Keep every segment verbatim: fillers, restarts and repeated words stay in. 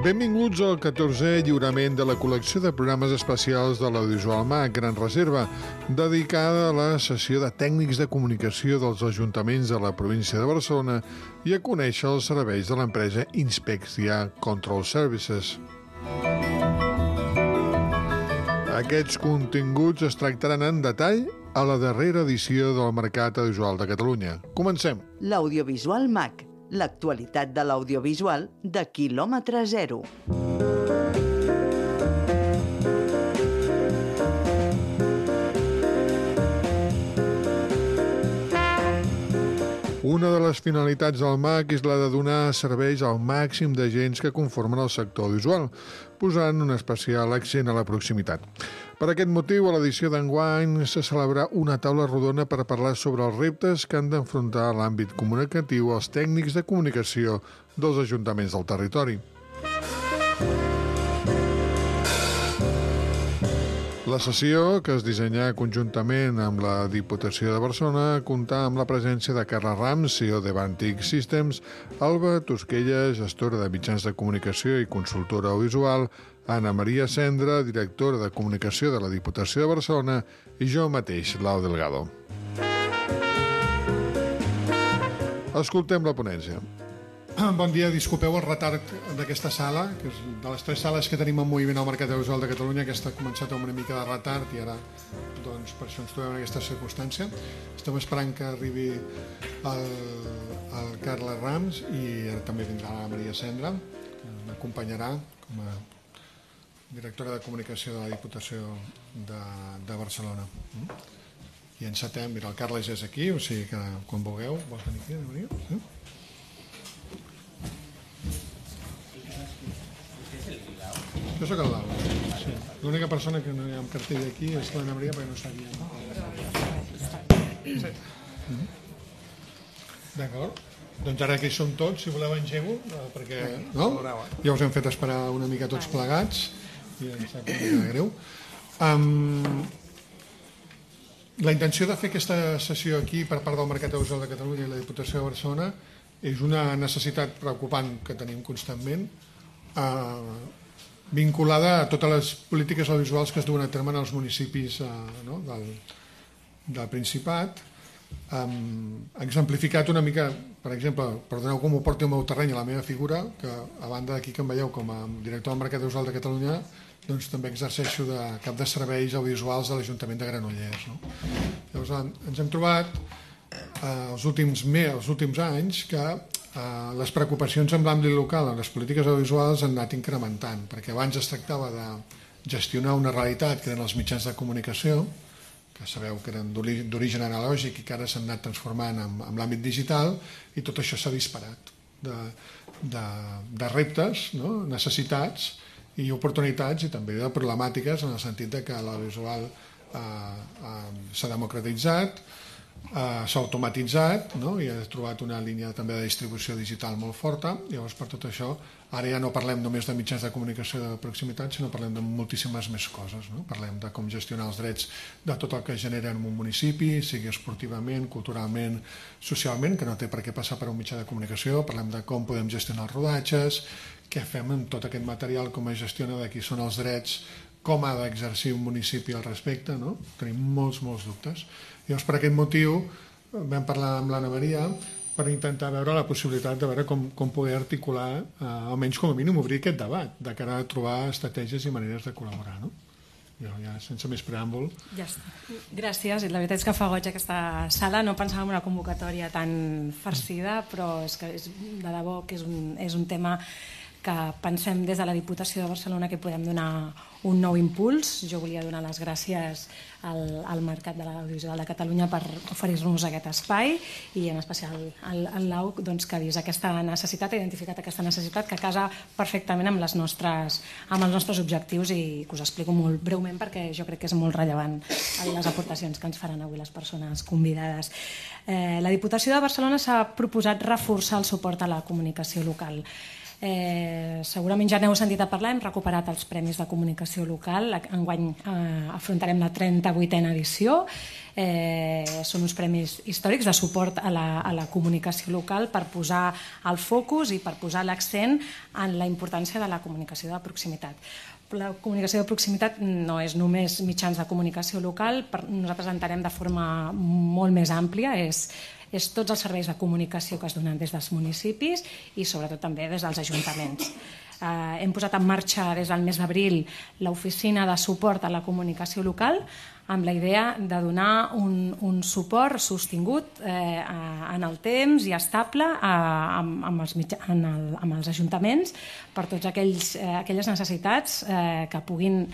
Benvinguts al catorzè lliurament de la col·lecció de programes especials de l'Audiovisual MAC Gran Reserva, dedicada a la sessió de tècnics de comunicació dels ajuntaments de la província de Barcelona i a conèixer els serveis de l'empresa Inspectia Control Services. Aquests continguts es tractaran en detall a la darrera edició del Mercat Audiovisual de Catalunya. Comencem. L'Audiovisual MAC, l'actualitat de l'audiovisual de quilòmetre zero. Una de les finalitats del MAC és la de donar serveis al màxim d'agents que conformen el sector audiovisual, posant un especial accent a la proximitat. Per aquest motiu, a l'edició d'enguany se celebrarà una taula rodona per parlar sobre els reptes que han d'enfrontar a l'àmbit comunicatiu els tècnics de comunicació dels ajuntaments del territori. La sessió, que es dissenyà conjuntament amb la Diputació de Barcelona, comptà amb la presència de Carla Rams, C E O de Vantic Systems, Alba Tosquella, gestora de mitjans de comunicació i consultora audiovisual, Anna Maria Cendra, directora de comunicació de la Diputació de Barcelona, i jo mateix, Lau Delgado. Escoltem la ponència. Bon dia, disculpeu el retard d'aquesta sala, que és de les tres sales que tenim en moviment al Mercat Audiovisual de Catalunya, aquesta ha començat amb una mica de retard i ara, doncs, per això ens trobem en aquesta circumstància. Estem esperant que arribi el, el Carla Rams i ara també vindrà la Maria Cendra, que m'acompanyarà com a directora de comunicació de la Diputació de, de Barcelona. I encetem, mira, el Carles ja és aquí, o sigui que quan vulgueu, vols venir aquí, Maria? Sí? Jo soc el Lau. Sí. L'única persona que no hi ha en cartell aquí és l'Anna Maria, perquè no sabia. Sí. Mm-hmm. D'acord. Doncs ara que hi som tots, si voleu engego, perquè no? Ja us hem fet esperar una mica tots plegats i em sap una mica greu. Um, la intenció de fer aquesta sessió aquí per part del Mercat Audiovisual de Catalunya i la Diputació de Barcelona és una necessitat preocupant que tenim constantment, eh, vinculada a totes les polítiques audiovisuals que es duen a terme en els municipis eh, no? del, del Principat. Um, exemplificat una mica, per exemple, perdoneu com ho porti al meu terreny, a la meva figura, que a banda d'aquí que em veieu com a director del Mercat Audiovisual de Catalunya, doncs també exerceixo de cap de serveis audiovisuals de l'Ajuntament de Granollers. No? Llavors ens hem trobat eh, els, últims, els últims anys que eh, les preocupacions amb l'àmbit local en les polítiques audiovisuals han anat incrementant, perquè abans es tractava de gestionar una realitat que eren els mitjans de comunicació, que sabeu que eren d'origen analògic i que ara s'han anat transformant en, en l'àmbit digital, i tot això s'ha disparat de, de, de reptes, no? Necessitats i oportunitats, i també de problemàtiques, en el sentit de que l'audiovisual eh, eh, s'ha democratitzat, Uh, s'ha automatitzat, no? I ha trobat una línia també de distribució digital molt forta. Llavors, per tot això, ara ja no parlem només de mitjans de comunicació de proximitat, sinó parlem de moltíssimes més coses, no? Parlem de com gestionar els drets de tot el que genera en un municipi, sigui esportivament, culturalment, socialment, que no té per què passar per un mitjà de comunicació. Parlem de com podem gestionar els rodatges, què fem amb tot aquest material, com es gestiona, de qui són els drets, com ha d'exercir un municipi al respecte, no? Tenim molts, molts dubtes. Llavors, per aquest motiu, vam parlar amb l'Anna Maria per intentar veure la possibilitat de veure com, com poder articular, eh, almenys com a mínim, obrir aquest debat, de cara a trobar estratègies i maneres de col·laborar, no? Jo ja, sense més preàmbul. Ja està. Gràcies. La veritat és que fa goig aquesta sala. No pensava en una convocatòria tan farcida, però és que és, de debò que és un, és un tema que pensem des de la Diputació de Barcelona que podem donar un nou impuls. Jo volia donar les gràcies al, al Mercat de l'Audiovisual de Catalunya per oferir-nos aquest espai, i en especial al, al Lau, doncs, que ha vist aquesta necessitat, ha identificat aquesta necessitat que casa perfectament amb, les nostres, amb els nostres objectius, i que us explico molt breument perquè jo crec que és molt rellevant les aportacions que ens faran avui les persones convidades. Eh, la Diputació de Barcelona s'ha proposat reforçar el suport a la comunicació local. Eh, segurament ja n'heu sentit a parlar, hem recuperat els Premis de Comunicació Local, enguany eh, afrontarem la trenta-vuitena edició. Eh, són uns premis històrics de suport a la, a la comunicació local per posar el focus i per posar l'accent en la importància de la comunicació de proximitat. La comunicació de proximitat no és només mitjans de comunicació local, nosaltres entenem de forma molt més àmplia, és és tots els serveis de comunicació que es donen des dels municipis i sobretot també des dels ajuntaments. Eh, hem posat en marxa des del mes d'abril l'oficina de suport a la comunicació local amb la idea de donar un, un suport sostingut eh, en el temps i estable a, amb, amb, els mitja, en el, amb els ajuntaments per totes aquells, eh, aquelles necessitats eh, que puguin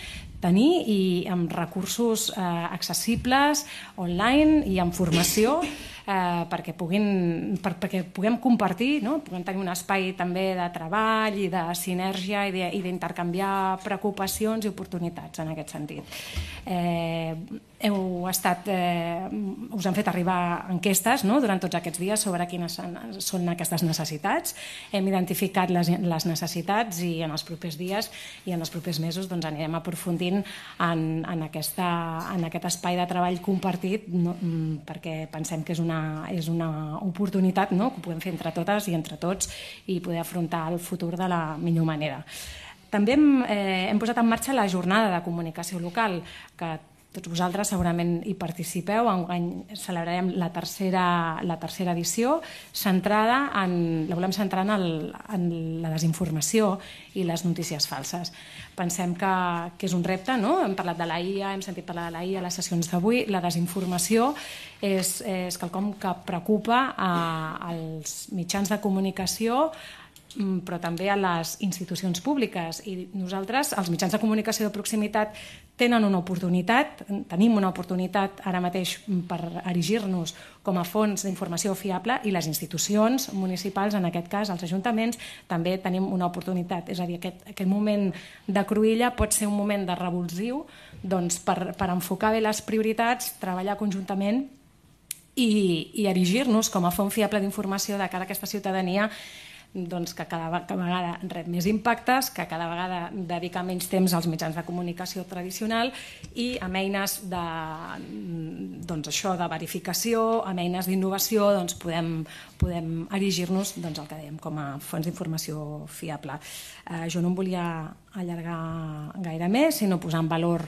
tenir i amb recursos eh, accessibles, online i amb formació eh, perquè, puguin, per, perquè puguem compartir, no? Puguem tenir un espai també de treball i de sinergia i d'intercanviar preocupacions i oportunitats en aquest sentit. Eh, heu estat, eh, us han fet arribar enquestes, no?, durant tots aquests dies sobre quines són aquestes necessitats. Hem identificat les, les necessitats i en els propers dies i en els propers mesos doncs, anirem aprofundint en, en, aquesta, en aquest espai de treball compartit, no, perquè pensem que és una, és una oportunitat, no?, que ho podem fer entre totes i entre tots i poder afrontar el futur de la millor manera. També hem, eh, hem posat en marxa la jornada de comunicació local, que tots vosaltres segurament hi participeu. Enguany celebrarem la tercera, la tercera edició, centrada en, la volem centrar en, el, en la desinformació i les notícies falses. Pensem que, que és un repte, no? Hem parlat de la I A, hem sentit parlar de la I A a les sessions d'avui. La desinformació és, és quelcom que preocupa a, als mitjans de comunicació, però també a les institucions públiques. I nosaltres, els mitjans de comunicació de proximitat, tenen una oportunitat, tenim una oportunitat ara mateix per erigir-nos com a fons d'informació fiable i les institucions municipals, en aquest cas els ajuntaments, també tenim una oportunitat. És a dir, aquest, aquest moment de cruïlla pot ser un moment de revulsiu doncs, per, per enfocar bé les prioritats, treballar conjuntament i, i erigir-nos com a font fiable d'informació de cara a aquesta ciutadania doncs, que cada vegada rep més impactes, que cada vegada dedica menys temps als mitjans de comunicació tradicional i amb eines de, doncs, això, de verificació, amb eines d'innovació, doncs, podem, podem erigir-nos doncs, el que dèiem com a fons d'informació fiable. Eh, jo no em volia allargar gaire més, sinó posar en valor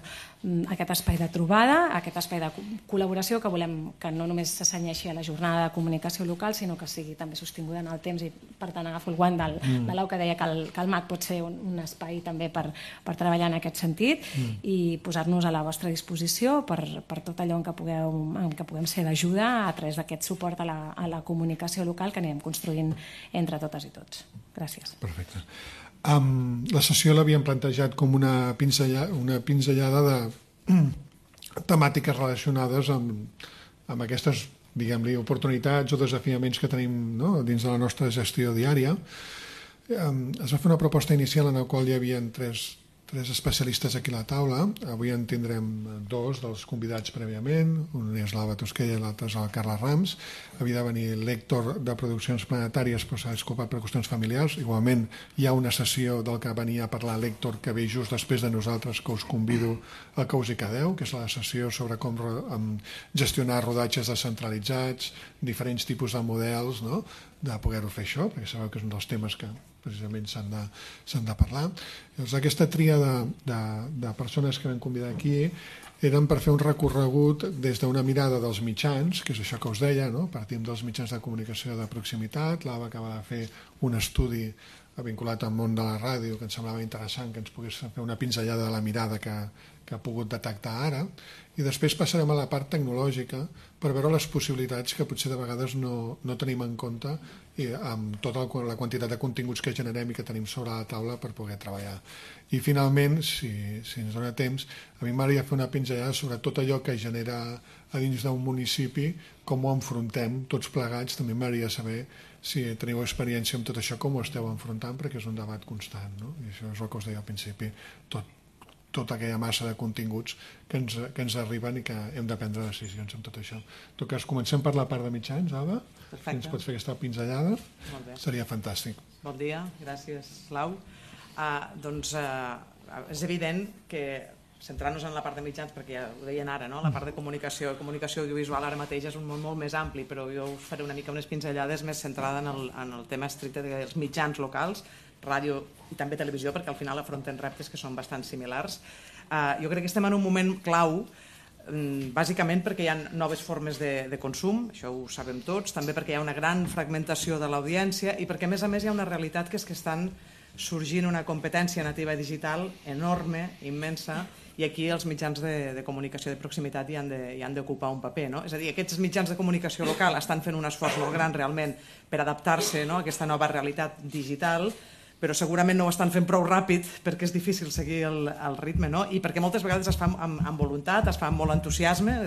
aquest espai de trobada, aquest espai de col·laboració que volem que no només s'assenyeixi a la jornada de comunicació local, sinó que sigui també sostinguda en el temps i per tant agafo el guant del, mm. de l'Au que deia que el, que el M A C pot ser un, un espai també per, per treballar en aquest sentit mm. i posar-nos a la vostra disposició per, per tot allò en què, pugueu, en què puguem ser d'ajuda a través d'aquest suport a la, a la comunicació local que anirem construint entre totes i tots. Gràcies. Perfecte. Um, la sessió l'havíem plantejat com una pinzellada, una pinzellada de temàtiques relacionades amb, amb aquestes, diguem-li, oportunitats o desafiaments que tenim, no?, dins de la nostra gestió diària. Um, es va fer una proposta inicial en la qual hi havia tres, tres especialistes aquí a la taula. Avui en tindrem dos dels convidats prèviament, un és l'Alba Tosquella i l'altre és el Carles Rams. Havia de venir l'Héctor de Produccions Planetàries, però s'ha disculpat per qüestions familiars. Igualment hi ha una sessió del que venia a parlar l'Héctor que ve just després de nosaltres, que us convido a que us hi quedeu, que és la sessió sobre com gestionar rodatges descentralitzats, diferents tipus de models, no?, de poder-ho fer això, perquè sabeu que és un dels temes que precisament s'han de, s'han de parlar. Llavors, aquesta tria de, de, de persones que vam convidar aquí eren per fer un recorregut des d'una mirada dels mitjans, que és això que us deia, no?, partim dels mitjans de comunicació de proximitat. L'Ava acaba de fer un estudi vinculat al món de la ràdio que ens semblava interessant que ens pogués fer una pinzellada de la mirada que, que ha pogut detectar ara, i després passarem a la part tecnològica per veure les possibilitats que potser de vegades no, no tenim en compte i amb tota la quantitat de continguts que generem i que tenim sobre la taula per poder treballar. I finalment, si, si ens dona temps, a mi m'agradaria fer una pinzellada sobre tot allò que genera a dins d'un municipi, com ho enfrontem tots plegats. També m'agradaria saber si teniu experiència amb tot això, com ho esteu enfrontant, perquè és un debat constant, no? I això és el que us deia al principi, tot tota aquella massa de continguts que ens, que ens arriben i que hem de prendre decisions amb tot això. En tot cas, comencem per la part de mitjans, Alba. Si ens pots fer aquesta pinzellada, seria fantàstic. Bon dia, gràcies, Lau. Uh, doncs uh, és evident que, centrant-nos en la part de mitjans, perquè ja ho deien ara, no? La part de comunicació, comunicació audiovisual ara mateix és un món molt més ampli, però jo us faré una mica unes pinzellades més centrada en el, en el tema estricte dels mitjans locals, ràdio i també televisió, perquè al final afronten reptes que són bastant similars. Uh, jo crec que estem en un moment clau, um, bàsicament perquè hi ha noves formes de, de consum, això ho sabem tots, també perquè hi ha una gran fragmentació de l'audiència i perquè a més a més hi ha una realitat que és que estan sorgint una competència nativa digital enorme, immensa, i aquí els mitjans de, de comunicació de proximitat hi han de, hi han d'ocupar un paper, no? És a dir, aquests mitjans de comunicació local estan fent un esforç molt gran realment per adaptar-se, no?, a aquesta nova realitat digital, però segurament no ho estan fent prou ràpid perquè és difícil seguir el, el ritme, no? I perquè moltes vegades es fa amb, amb voluntat, es fa amb molt entusiasme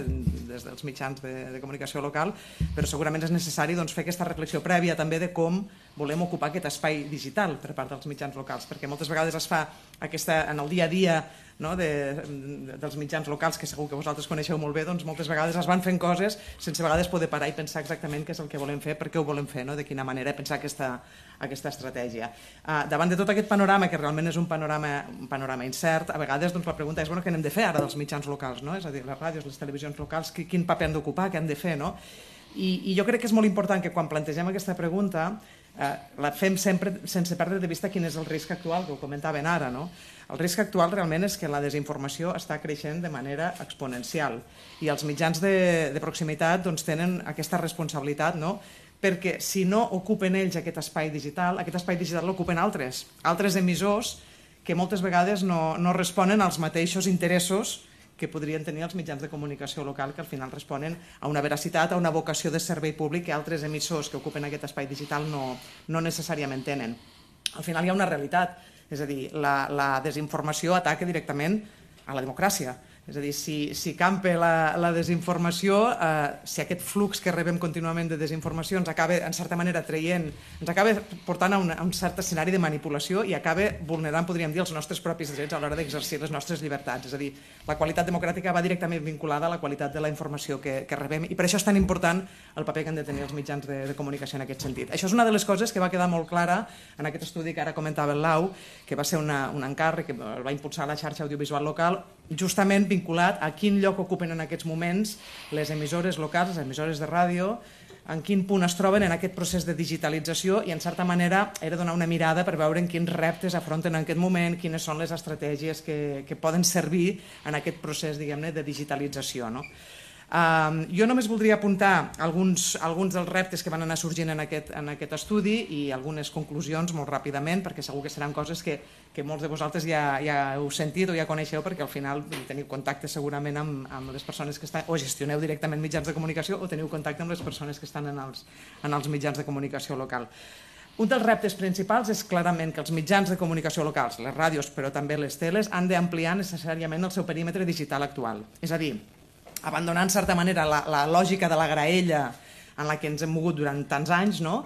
des dels mitjans de, de comunicació local, però segurament és necessari doncs, fer aquesta reflexió prèvia també de com volem ocupar aquest espai digital per part dels mitjans locals, perquè moltes vegades es fa aquesta, en el dia a dia, no, de, de, dels mitjans locals, que segur que vosaltres coneixeu molt bé, doncs moltes vegades es van fent coses sense a vegades poder parar i pensar exactament què és el que volem fer, per què ho volem fer, no? De quina manera pensar aquesta, aquesta estratègia. Uh, davant de tot aquest panorama, que realment és un panorama, un panorama incert, a vegades doncs, la pregunta és bueno, què hem de fer ara dels mitjans locals, no? És a dir, les ràdios, les televisions locals, quin paper han d'ocupar, què han de fer, no? I, I jo crec que és molt important que quan plantegem aquesta pregunta eh, la fem sempre sense perdre de vista quin és el risc actual, que ho comentaven ara, no? El risc actual realment és que la desinformació està creixent de manera exponencial i els mitjans de, de proximitat doncs, tenen aquesta responsabilitat, no? Perquè si no ocupen ells aquest espai digital, aquest espai digital l'ocupen altres, altres emissors que moltes vegades no, no responen als mateixos interessos que podrien tenir els mitjans de comunicació local, que al final responen a una veracitat, a una vocació de servei públic que altres emissors que ocupen aquest espai digital no, no necessàriament tenen. Al final hi ha una realitat, és a dir, la, la desinformació ataca directament a la democràcia. És a dir, si, si campa la, la desinformació, eh, si aquest flux que rebem contínuament de desinformació ens acaba, en certa manera, traient, ens acaba portant a un, a un cert escenari de manipulació i acaba vulnerant, podríem dir, els nostres propis drets a l'hora d'exercir les nostres llibertats. És a dir, la qualitat democràtica va directament vinculada a la qualitat de la informació que, que rebem i per això és tan important el paper que han de tenir els mitjans de, de comunicació en aquest sentit. Això és una de les coses que va quedar molt clara en aquest estudi que ara comentava el Lau, que va ser una, un encàrrec que el va impulsar la xarxa audiovisual local, justament vinculat a quin lloc ocupen en aquests moments les emissores locals, les emissores de ràdio, en quin punt es troben en aquest procés de digitalització i, en certa manera, era donar una mirada per veure en quins reptes afronten en aquest moment, quines són les estratègies que, que poden servir en aquest procés, diguem-ne, de digitalització, no? Uh, jo només voldria apuntar alguns, alguns dels reptes que van anar sorgint en aquest, en aquest estudi i algunes conclusions molt ràpidament, perquè segur que seran coses que, que molts de vosaltres ja, ja heu sentit o ja coneixeu, perquè al final teniu contacte segurament amb, amb les persones que estan, o gestioneu directament mitjans de comunicació o teniu contacte amb les persones que estan en els, en els mitjans de comunicació local. Un dels reptes principals és clarament que els mitjans de comunicació locals, les ràdios però també les teles, han d'ampliar necessàriament el seu perímetre digital actual. És a dir, abandonant, en certa manera, la, la lògica de la graella en la que ens hem mogut durant tants anys, no?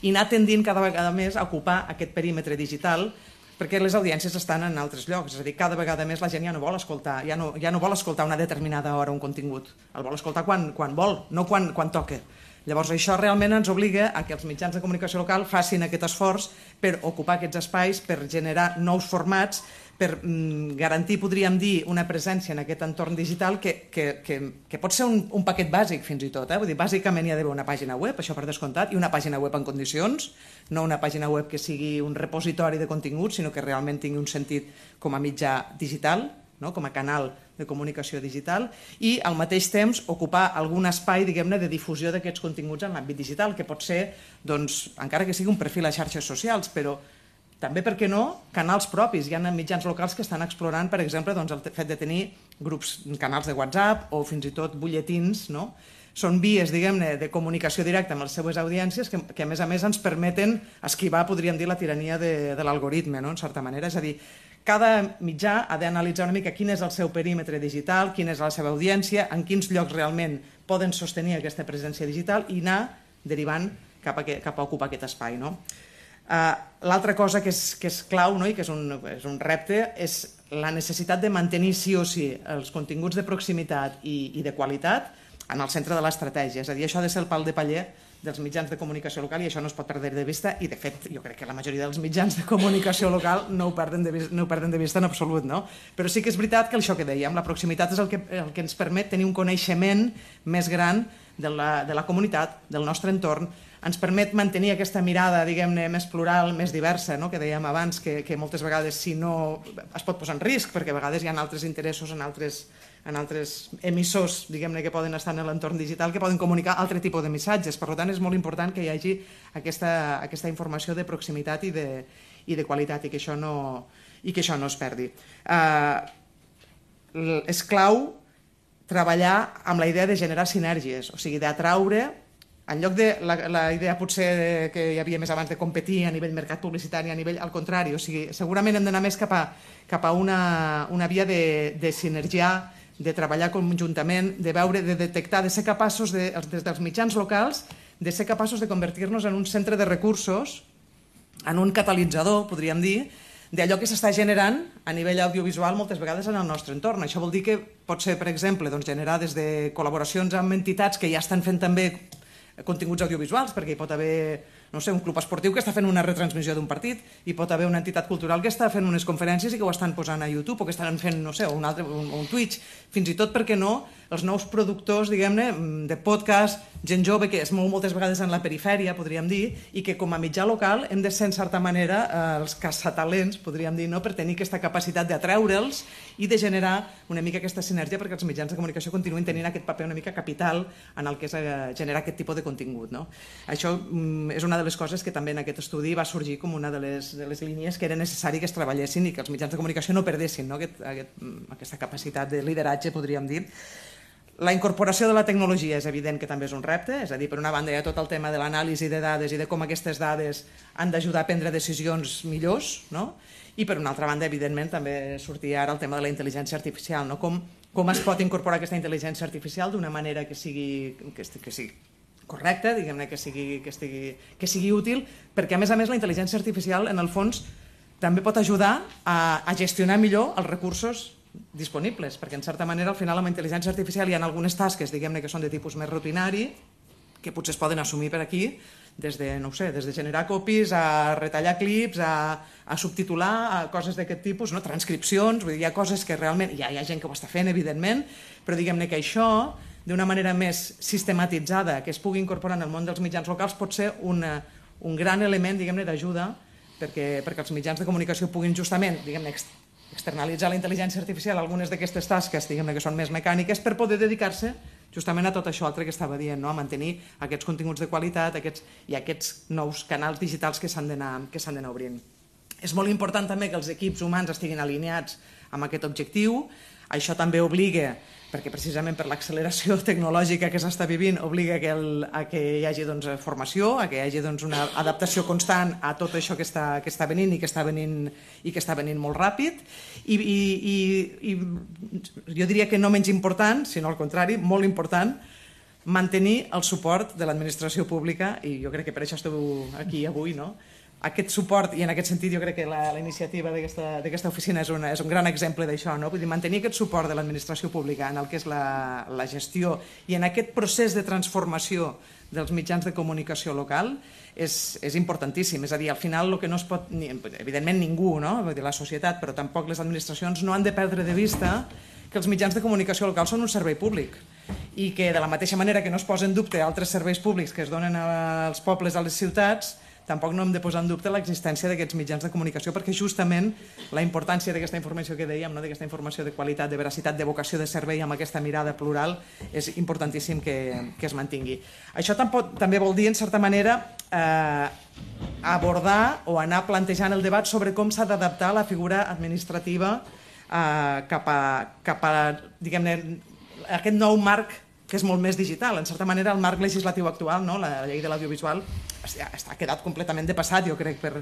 I anar tendint cada vegada més a ocupar aquest perímetre digital perquè les audiències estan en altres llocs. És a dir, cada vegada més la gent ja no vol escoltar, ja no, ja no vol escoltar una determinada hora un contingut. El vol escoltar quan, quan vol, no quan, quan toca. Llavors, això realment ens obliga a que els mitjans de comunicació local facin aquest esforç per ocupar aquests espais, per generar nous formats, per mm, garantir, podríem dir, una presència en aquest entorn digital que, que, que, que pot ser un, un paquet bàsic fins i tot. Eh? Vull dir, bàsicament hi ha d'haver una pàgina web, això per descomptat, i una pàgina web en condicions, no una pàgina web que sigui un repositori de continguts, sinó que realment tingui un sentit com a mitjà digital, no? Com a canal de comunicació digital, i al mateix temps ocupar algun espai, diguem-ne, de difusió d'aquests continguts en l'àmbit digital, que pot ser, doncs, encara que sigui un perfil a xarxes socials, però també, per què no, canals propis. Hi ha mitjans locals que estan explorant, per exemple, doncs, el fet de tenir grups, canals de WhatsApp o fins i tot butlletins, no? Són vies, diguem-ne, de comunicació directa amb les seues audiències que, que a més a més ens permeten esquivar, podríem dir, la tirania de, de l'algoritme, no? En certa manera. És a dir, cada mitjà ha d'analitzar una mica quin és el seu perímetre digital, quina és la seva audiència, en quins llocs realment poden sostenir aquesta presència digital i anar derivant cap a, cap a ocupar aquest espai, no? L'altra cosa que és, que és clau, no? I que és un, és un repte és la necessitat de mantenir sí o sí els continguts de proximitat i, i de qualitat en el centre de l'estratègia. És a dir, això ha de ser el pal de paller dels mitjans de comunicació local i això no es pot perdre de vista i, de fet, jo crec que la majoria dels mitjans de comunicació local no ho perden de vista, no ho perden de vista en absolut, no? Però sí que és veritat que això que dèiem, la proximitat és el que, el que ens permet tenir un coneixement més gran de la, de la comunitat, del nostre entorn, ens permet mantenir aquesta mirada, diguem-ne, més plural, més diversa, no? Que dèiem abans, que, que moltes vegades si no es pot posar en risc, perquè a vegades hi ha altres interessos en altres, en altres emissors, diguem-ne, que poden estar en l'entorn digital, que poden comunicar altre tipus de missatges. Per tant, és molt important que hi hagi aquesta, aquesta informació de proximitat i de, i de qualitat i que això no, i que això no es perdi. Uh, és clau treballar amb la idea de generar sinergies, o sigui, d'atraure, en lloc de la, la idea potser que hi havia més abans de competir a nivell mercat publicitari, a nivell al contrari, o sigui, segurament hem d'anar més cap a, cap a una, una via de, de sinergiar, de treballar conjuntament, de veure, de detectar, de ser capaços, de, des dels mitjans locals, de ser capaços de convertir-nos en un centre de recursos, en un catalitzador, podríem dir, d'allò que s'està generant a nivell audiovisual moltes vegades en el nostre entorn. Això vol dir que pot ser, per exemple, doncs, generar des de col·laboracions amb entitats que ja estan fent també continguts audiovisuals, perquè hi pot haver, no sé, un club esportiu que està fent una retransmissió d'un partit, hi pot haver una entitat cultural que està fent unes conferències i que ho estan posant a YouTube o que estan fent, no sé, un, altre, un, un Twitch, fins i tot, per què no, els nous productors, diguem-ne, de podcast, gent jove que es mou moltes vegades en la perifèria, podríem dir, i que com a mitjà local hem de ser, en certa manera, eh, els caçatalents, podríem dir, no?, per tenir aquesta capacitat d'atreure'ls i de generar una mica aquesta sinergia perquè els mitjans de comunicació continuïn tenint aquest paper una mica capital en el que és eh, generar aquest tipus de contingut, no? Això mm, és una de les coses que també en aquest estudi va sorgir com una de les, de les línies que era necessari que es treballessin i que els mitjans de comunicació no perdessin, no? Aquest, aquest, aquesta capacitat de lideratge, podríem dir. La incorporació de la tecnologia és evident que també és un repte, és a dir, per una banda hi ha tot el tema de l'anàlisi de dades i de com aquestes dades han d'ajudar a prendre decisions millors, no? I per una altra banda, evidentment, també sortia ara el tema de la intel·ligència artificial, no? Com, com es pot incorporar aquesta intel·ligència artificial d'una manera que sigui, que, que sigui correcta, diguem-ne, que sigui, que, estigui, que sigui útil, perquè a més a més la intel·ligència artificial, en el fons, també pot ajudar a, a gestionar millor els recursos disponibles, perquè en certa manera al final amb la intel·ligència artificial hi ha algunes tasques, diguem-ne, que són de tipus més rutinari, que potser es poden assumir per aquí, des de, no ho sé, des de generar copies, a retallar clips, a, a subtitular, a coses d'aquest tipus, no? Transcripcions, vull dir, hi ha coses que realment, ja hi ha gent que ho està fent, evidentment, però diguem-ne que això, d'una manera més sistematitzada, que es pugui incorporar en el món dels mitjans locals, pot ser una, un gran element, diguem-ne, d'ajuda perquè, perquè els mitjans de comunicació puguin justament, diguem-ne, externalitzar la intel·ligència artificial algunes d'aquestes tasques, diguem-ne, que són més mecàniques, per poder dedicar-se justament a tot això altre que estava dient, no? A mantenir aquests continguts de qualitat aquests, i aquests nous canals digitals que s'han d'anar que s'han d'anar obrint. És molt important també que els equips humans estiguin alineats amb aquest objectiu. Això també obliga, perquè precisament per l'acceleració tecnològica que s'està vivint, obliga que el, a que hi hagi doncs, formació, a que hi hagi doncs, una adaptació constant a tot això que està, que està venint i que està venint, i que està venint molt ràpid. I, i, i, i jo diria que no menys important, sinó al contrari, molt important, mantenir el suport de l'administració pública, i jo crec que per això esteu aquí avui, no? Aquest suport, i en aquest sentit jo crec que la, la iniciativa d'aquesta oficina és, una, és un gran exemple d'això, no? Vull dir, mantenir aquest suport de l'administració pública en el que és la, la gestió i en aquest procés de transformació dels mitjans de comunicació local és, és importantíssim. És a dir, al final el que no es pot, evidentment ningú, no? Vull dir, la societat, però tampoc les administracions no han de perdre de vista que els mitjans de comunicació local són un servei públic i que de la mateixa manera que no es posa en dubte altres serveis públics que es donen als pobles, a les ciutats, tampoc no hem de posar en dubte l'existència d'aquests mitjans de comunicació perquè justament la importància d'aquesta informació que dèiem, no? D'aquesta informació de qualitat, de veracitat, de vocació de servei amb aquesta mirada plural és importantíssim que, que es mantingui. Això tampoc, també vol dir, en certa manera, eh, abordar o anar plantejant el debat sobre com s'ha d'adaptar la figura administrativa eh, cap a, cap a diguem-ne, aquest nou marc que és molt més digital. En certa manera, el marc legislatiu actual, no? La llei de l'audiovisual, està quedat completament depassat, jo crec, per,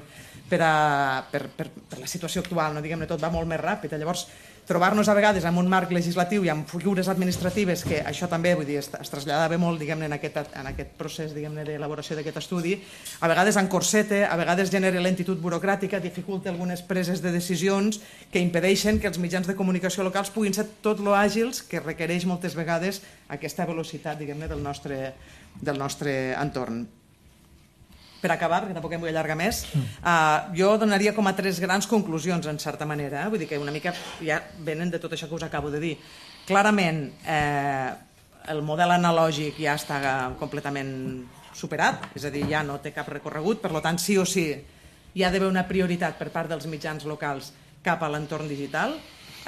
per, a, per, per, per la situació actual, no? Diguem-ne, tot va molt més ràpid. Llavors, trobar-nos a vegades amb un marc legislatiu i amb figures administratives, que això també, vull dir, es, es traslladava molt, diguem-ne, en aquest, en aquest procés, diguem-ne, d'elaboració d'aquest estudi, a vegades encorseta, a vegades genera lentitud burocràtica, dificulta algunes preses de decisions que impedeixen que els mitjans de comunicació locals puguin ser tot lo àgils que requereix moltes vegades aquesta velocitat, diguem-ne, del nostre, del nostre entorn. Per acabar, perquè tampoc em vull allargar més, uh, jo donaria com a tres grans conclusions, en certa manera. Eh? Vull dir que una mica ja venen de tot això que us acabo de dir. Clarament, eh, el model analògic ja està completament superat, és a dir, ja no té cap recorregut, per tant, sí o sí, hi ha d'haver una prioritat per part dels mitjans locals cap a l'entorn digital.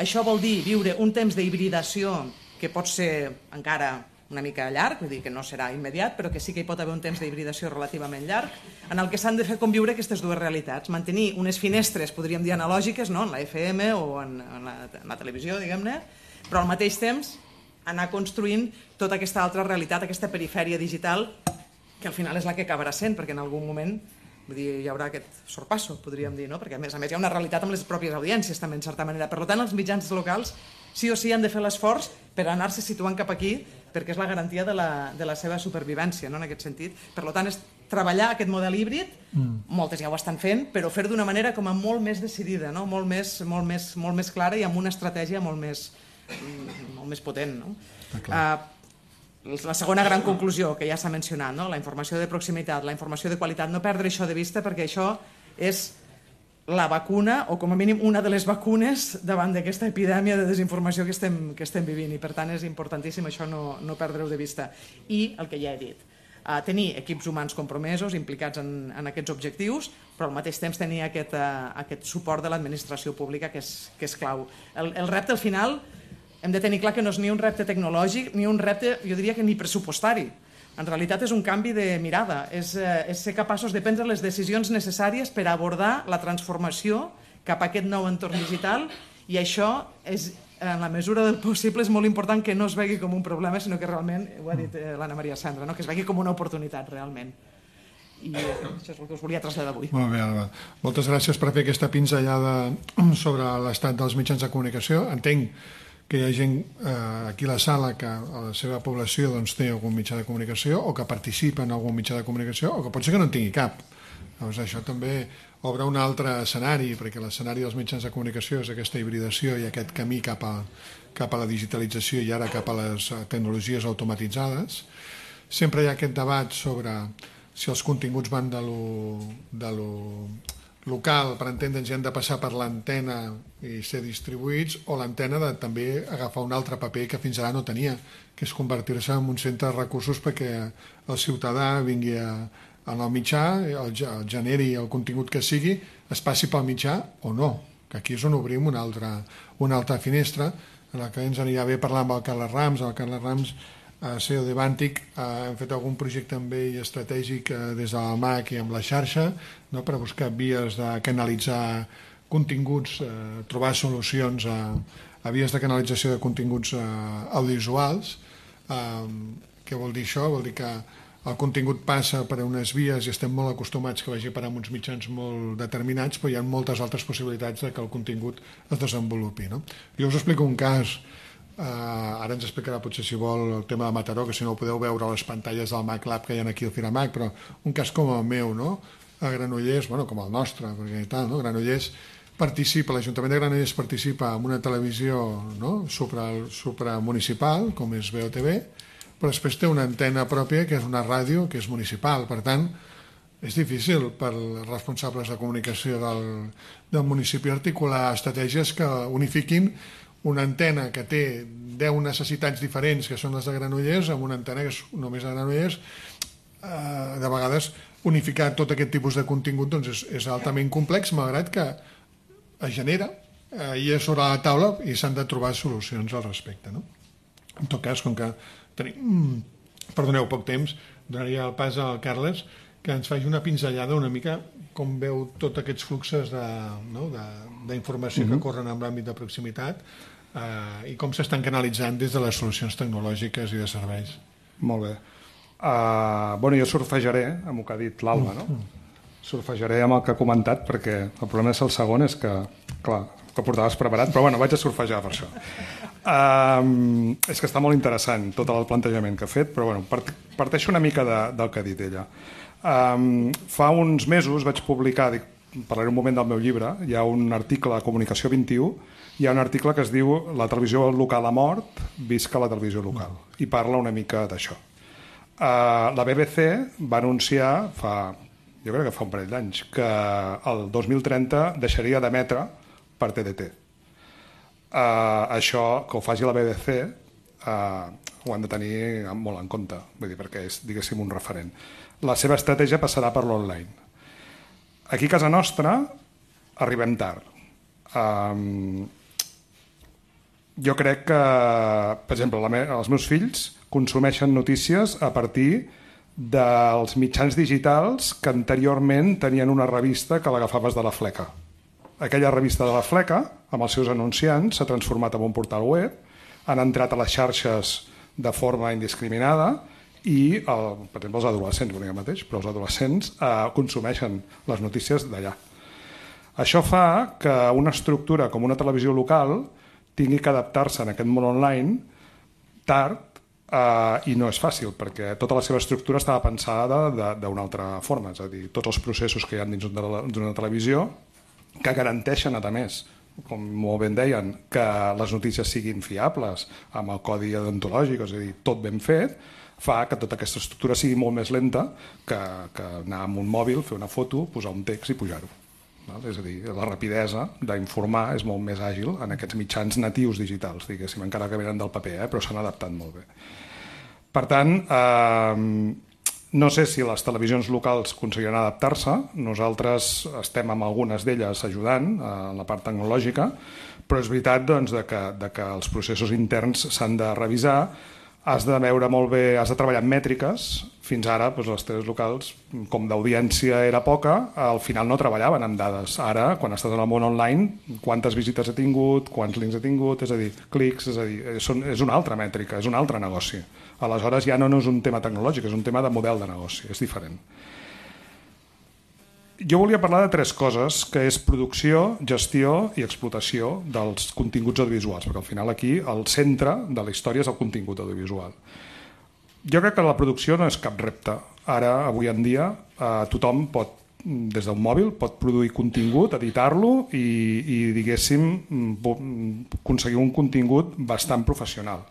Això vol dir viure un temps d'hibridació que pot ser encara una mica llarg, vull dir que no serà immediat, però que sí que hi pot haver un temps d'hibridació relativament llarg, en el que s'han de fer conviure aquestes dues realitats. Mantenir unes finestres, podríem dir, analògiques, no? En la F M o en, en, la, en la televisió, diguem-ne, però al mateix temps anar construint tota aquesta altra realitat, aquesta perifèria digital, que al final és la que acabarà sent, perquè en algun moment vull dir, hi haurà aquest sorpasso, podríem dir, no? Perquè a més a més hi ha una realitat amb les pròpies audiències, també, en certa manera. Per tant, els mitjans locals sí o sí han de fer l'esforç per anar-se situant cap aquí, perquè és la garantia de la, de la seva supervivència, no? En aquest sentit. Per tant, és treballar aquest model híbrid, mm. moltes ja ho estan fent, però fer d'una manera com a molt més decidida, no? molt, més, molt, més, molt més clara i amb una estratègia molt més, molt més potent. No? Uh, la segona gran conclusió que ja s'ha mencionat, no? La informació de proximitat, la informació de qualitat, no perdre això de vista, perquè això és la vacuna, o com a mínim una de les vacunes davant d'aquesta epidèmia de desinformació que estem, que estem vivint, i per tant és importantíssim això no, no perdre-ho de vista. I el que ja he dit, uh, tenir equips humans compromesos, implicats en, en aquests objectius, però al mateix temps tenir aquest, uh, aquest suport de l'administració pública que és, que és clau. El, el repte al final hem de tenir clar que no és ni un repte tecnològic ni un repte, jo diria que ni pressupostari. En realitat és un canvi de mirada, és, eh, és ser capaços de prendre les decisions necessàries per abordar la transformació cap a aquest nou entorn digital, i això és, en la mesura del possible, és molt important que no es vegi com un problema, sinó que realment, ho ha dit eh, l'Anna Maria Sandra, no? Que es vegi com una oportunitat realment. I eh, això és el que us volia traslladar avui. Molt bé, Alba. Moltes gràcies per fer aquesta pinzellada sobre l'estat dels mitjans de comunicació. Entenc que hi ha gent eh, aquí a la sala que a la seva població doncs, té algun mitjà de comunicació o que participa en algun mitjà de comunicació o que pot ser que no en tingui cap. Llavors això també obre un altre escenari, perquè l'escenari dels mitjans de comunicació és aquesta hibridació i aquest camí cap a, cap a la digitalització i ara cap a les tecnologies automatitzades. Sempre hi ha aquest debat sobre si els continguts van de lo, de lo local, per entendre'ns, han de passar per l'antena i ser distribuïts, o l'antena de també agafar un altre paper que fins ara no tenia, que és convertir-se en un centre de recursos perquè el ciutadà vingui a, a el mitjà, el, el generi el contingut que sigui, es passi pel mitjà o no, que aquí és on obrim una altra, una altra finestra, en la que ens anirà bé parlar amb el Carles Rams. El Carles Rams, a C E O de Vantic, hem fet algun projecte amb ell estratègic des del M A C i amb la xarxa, no, per buscar vies de canalitzar continguts, eh, trobar solucions a, a vies de canalització de continguts eh, audiovisuals. Eh, què vol dir això? Vol dir que el contingut passa per unes vies i estem molt acostumats que vagi per a uns mitjans molt determinats, però hi ha moltes altres possibilitats de que el contingut es desenvolupi. No? Jo us explico un cas. Uh, ara ens explicarà potser si vol el tema de Mataró, que si no ho podeu veure a les pantalles del Mac Lab que hi ha aquí al Firamac, però un cas com el meu, no? A Granollers, bueno, com el nostre, perquè tal, no? Granollers participa, l'Ajuntament de Granollers participa en una televisió, no? supra, supramunicipal, com és B O T V, però després té una antena pròpia que és una ràdio que és municipal, per tant és difícil per als responsables de comunicació del, del municipi articular estratègies que unifiquin una antena que té deu necessitats diferents, que són les de Granollers, amb una antena que és només de Granollers. Eh, de vegades, unificar tot aquest tipus de contingut doncs és, és altament complex, malgrat que es genera eh, i és sobre la taula i s'han de trobar solucions al respecte. No? En tot cas, com que tenim, perdoneu, poc temps, donaria el pas al Carles que ens faci una pinzellada una mica com veu tots aquests fluxos d'informació no? que corren en l'àmbit de proximitat eh, i com s'estan canalitzant des de les solucions tecnològiques i de serveis. Molt bé. Uh, bueno, jo surfejaré amb el que ha dit l'Alba, no? Surfejaré amb el que ha comentat, perquè el problema és el segon, és que, clar, que portaves preparat, però bueno, vaig a surfejar per això. Um, és que està molt interessant tot el plantejament que ha fet, però bueno, part, parteixo una mica de, del que ha dit ella. Um, fa uns mesos vaig publicar, dic, parlaré un moment del meu llibre, hi ha un article a Comunicació vint-i-u, hi ha un article que es diu La televisió local ha mort, visca la televisió local, i parla una mica d'això. Uh, la B B C va anunciar fa, jo crec que fa un parell d'anys, que el dos mil trenta deixaria d'emetre per T D T. Uh, això, que ho faci la B B C, uh, ho han de tenir molt en compte, vull dir, perquè és, diguéssim, un referent. La seva estratègia passarà per l'online. Aquí a casa nostra arribem tard. Um, jo crec que, per exemple, la me els meus fills consumeixen notícies a partir dels mitjans digitals que anteriorment tenien una revista que l'agafaves de la fleca. Aquella revista de la fleca, amb els seus anunciants, s'ha transformat en un portal web, han entrat a les xarxes de forma indiscriminada i, el, per exemple, els adolescents, bueno, mateix, però els adolescents eh, consumeixen les notícies d'allà. Això fa que una estructura com una televisió local tingui que adaptar-se en aquest món online tard, Uh, i no és fàcil, perquè tota la seva estructura estava pensada d'una altra forma, és a dir, tots els processos que hi ha dins d'una televisió que garanteixen, a més, com molt ben deien, que les notícies siguin fiables, amb el codi deontològic, és a dir, tot ben fet, fa que tota aquesta estructura sigui molt més lenta que, que anar amb un mòbil, fer una foto, posar un text i pujar-ho. És a dir, la rapidesa d'informar és molt més àgil en aquests mitjans natius digitals, diguéssim, encara que venen del paper, eh? Però s'han adaptat molt bé. Per tant, eh, no sé si les televisions locals aconseguiran adaptar-se, nosaltres estem amb algunes d'elles ajudant en la part tecnològica, però és veritat doncs, de que, de que els processos interns s'han de revisar, has de veure molt bé, has de treballar en mètriques. Fins ara doncs, les teles locals, com d'audiència era poca, al final no treballaven amb dades. Ara, quan estàs en el món online, quantes visites ha tingut, quants links ha tingut, és a dir, clics, és a dir, és una altra mètrica, és un altre negoci. Aleshores ja no és un tema tecnològic, és un tema de model de negoci, és diferent. Jo volia parlar de tres coses, que és producció, gestió i explotació dels continguts audiovisuals, perquè al final aquí el centre de la història és el contingut audiovisual. Jo crec que la producció no és cap repte. Ara, avui en dia, eh, tothom pot, des d'un mòbil, pot produir contingut, editar-lo i, i, diguéssim, aconseguir un contingut bastant professional.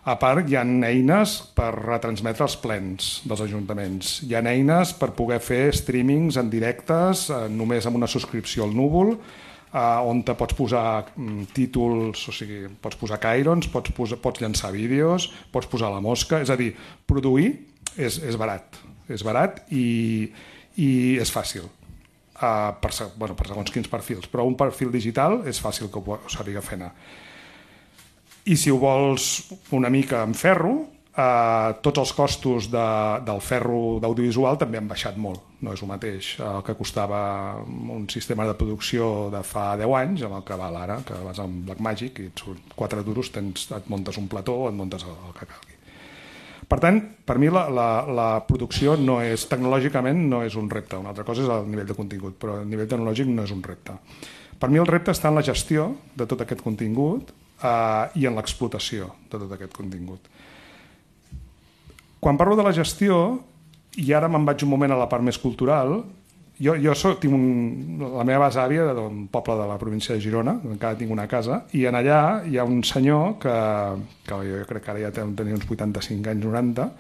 A part, hi ha eines per retransmetre els plens dels ajuntaments. Hi ha eines per poder fer streamings en directes, eh, només amb una subscripció al núvol, eh, on te pots posar mm, títols, o sigui, pots posar cairons, pots, posar, pots llançar vídeos, pots posar la mosca. És a dir, produir és, és barat. És barat i, i és fàcil. Uh, per, bueno, per segons quins perfils. Però un perfil digital és fàcil que ho sàpiga fer anar. I si ho vols una mica en ferro, eh, tots els costos de, del ferro d'audiovisual també han baixat molt. No és el mateix el que costava un sistema de producció de fa deu anys amb el que val ara, que vas amb Blackmagic i et surt quatre duros, tens, et muntes un plató o et muntes el, el que calgui. Per tant, per mi la, la, la producció no és, tecnològicament no és un repte. Una altra cosa és el nivell de contingut, però el nivell tecnològic no és un repte. Per mi el repte està en la gestió de tot aquest contingut Uh, i en l'explotació de tot aquest contingut. Quan parlo de la gestió, i ara me'n vaig un moment a la part més cultural, jo, jo soc, tinc un, la meva besàvia d'un poble de la província de Girona, encara tinc una casa, i en allà hi ha un senyor que, que jo crec que ara ja tenia uns vuitanta-cinc anys, noranta,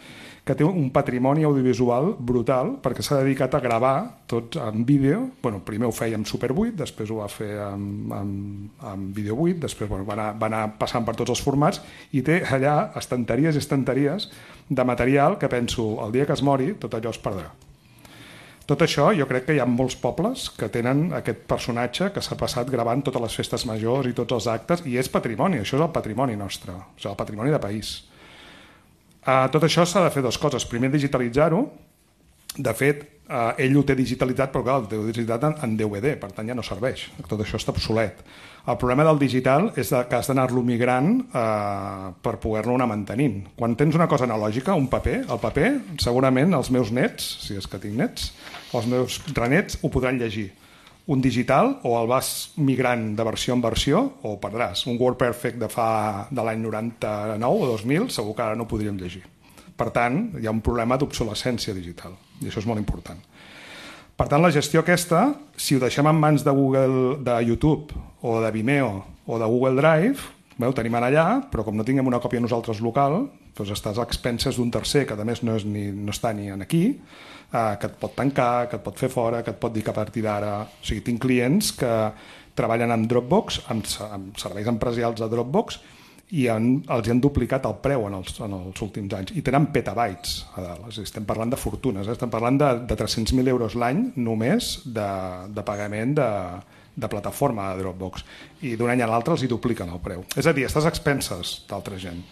que té un patrimoni audiovisual brutal perquè s'ha dedicat a gravar tot en vídeo. Bueno, primer ho feia amb Super vuit, després ho va fer amb, amb, amb Video vuit, després bueno, va, anar, va anar passant per tots els formats i té allà estanteries i estanteries de material que penso, el dia que es mori, tot allò es perdrà. Tot això, jo crec que hi ha molts pobles que tenen aquest personatge que s'ha passat gravant totes les festes majors i tots els actes, i és patrimoni, això és el patrimoni nostre, o sigui, el patrimoni de país. Uh, tot això s'ha de fer dues coses. Primer, digitalitzar-ho De fet, Uh, ell ho té digitalitzat, però clar, ho té digitalitzat en, en D V D, per tant ja no serveix, tot això està obsolet. El problema del digital és que has d'anar-lo migrant uh, per poder-lo anar mantenint. Quan tens una cosa analògica, un paper, el paper, segurament els meus nets, si és que tinc nets, els meus renets ho podran llegir. Un digital, o el vas migrant de versió en versió, o perdràs. Un WordPerfect de fa de l'any noranta-nou o dos mil, segur que ara no ho podríem llegir. Per tant, hi ha un problema d'obsolescència digital, i això és molt important. Per tant, la gestió aquesta, si ho deixem en mans de Google, de YouTube, o de Vimeo, o de Google Drive, bé, ho tenim allà, però com no tinguem una còpia nosaltres local, doncs estàs a expenses d'un tercer, que a més no, és ni, no està ni aquí, eh, que et pot tancar, que et pot fer fora, que et pot dir que a partir d'ara... O sigui, tinc clients que treballen amb Dropbox, amb, amb serveis empresarials de Dropbox, i han, els han duplicat el preu en els, en els últims anys, i tenen petabytes a dalt. És a dir, estem parlant de fortunes, eh? Estem parlant de, de tres-cents mil euros l'any només de, de pagament de, de plataforma de Dropbox, i d'un any a l'altre els hi dupliquen el preu. És a dir, estàs a expenses d'altra gent.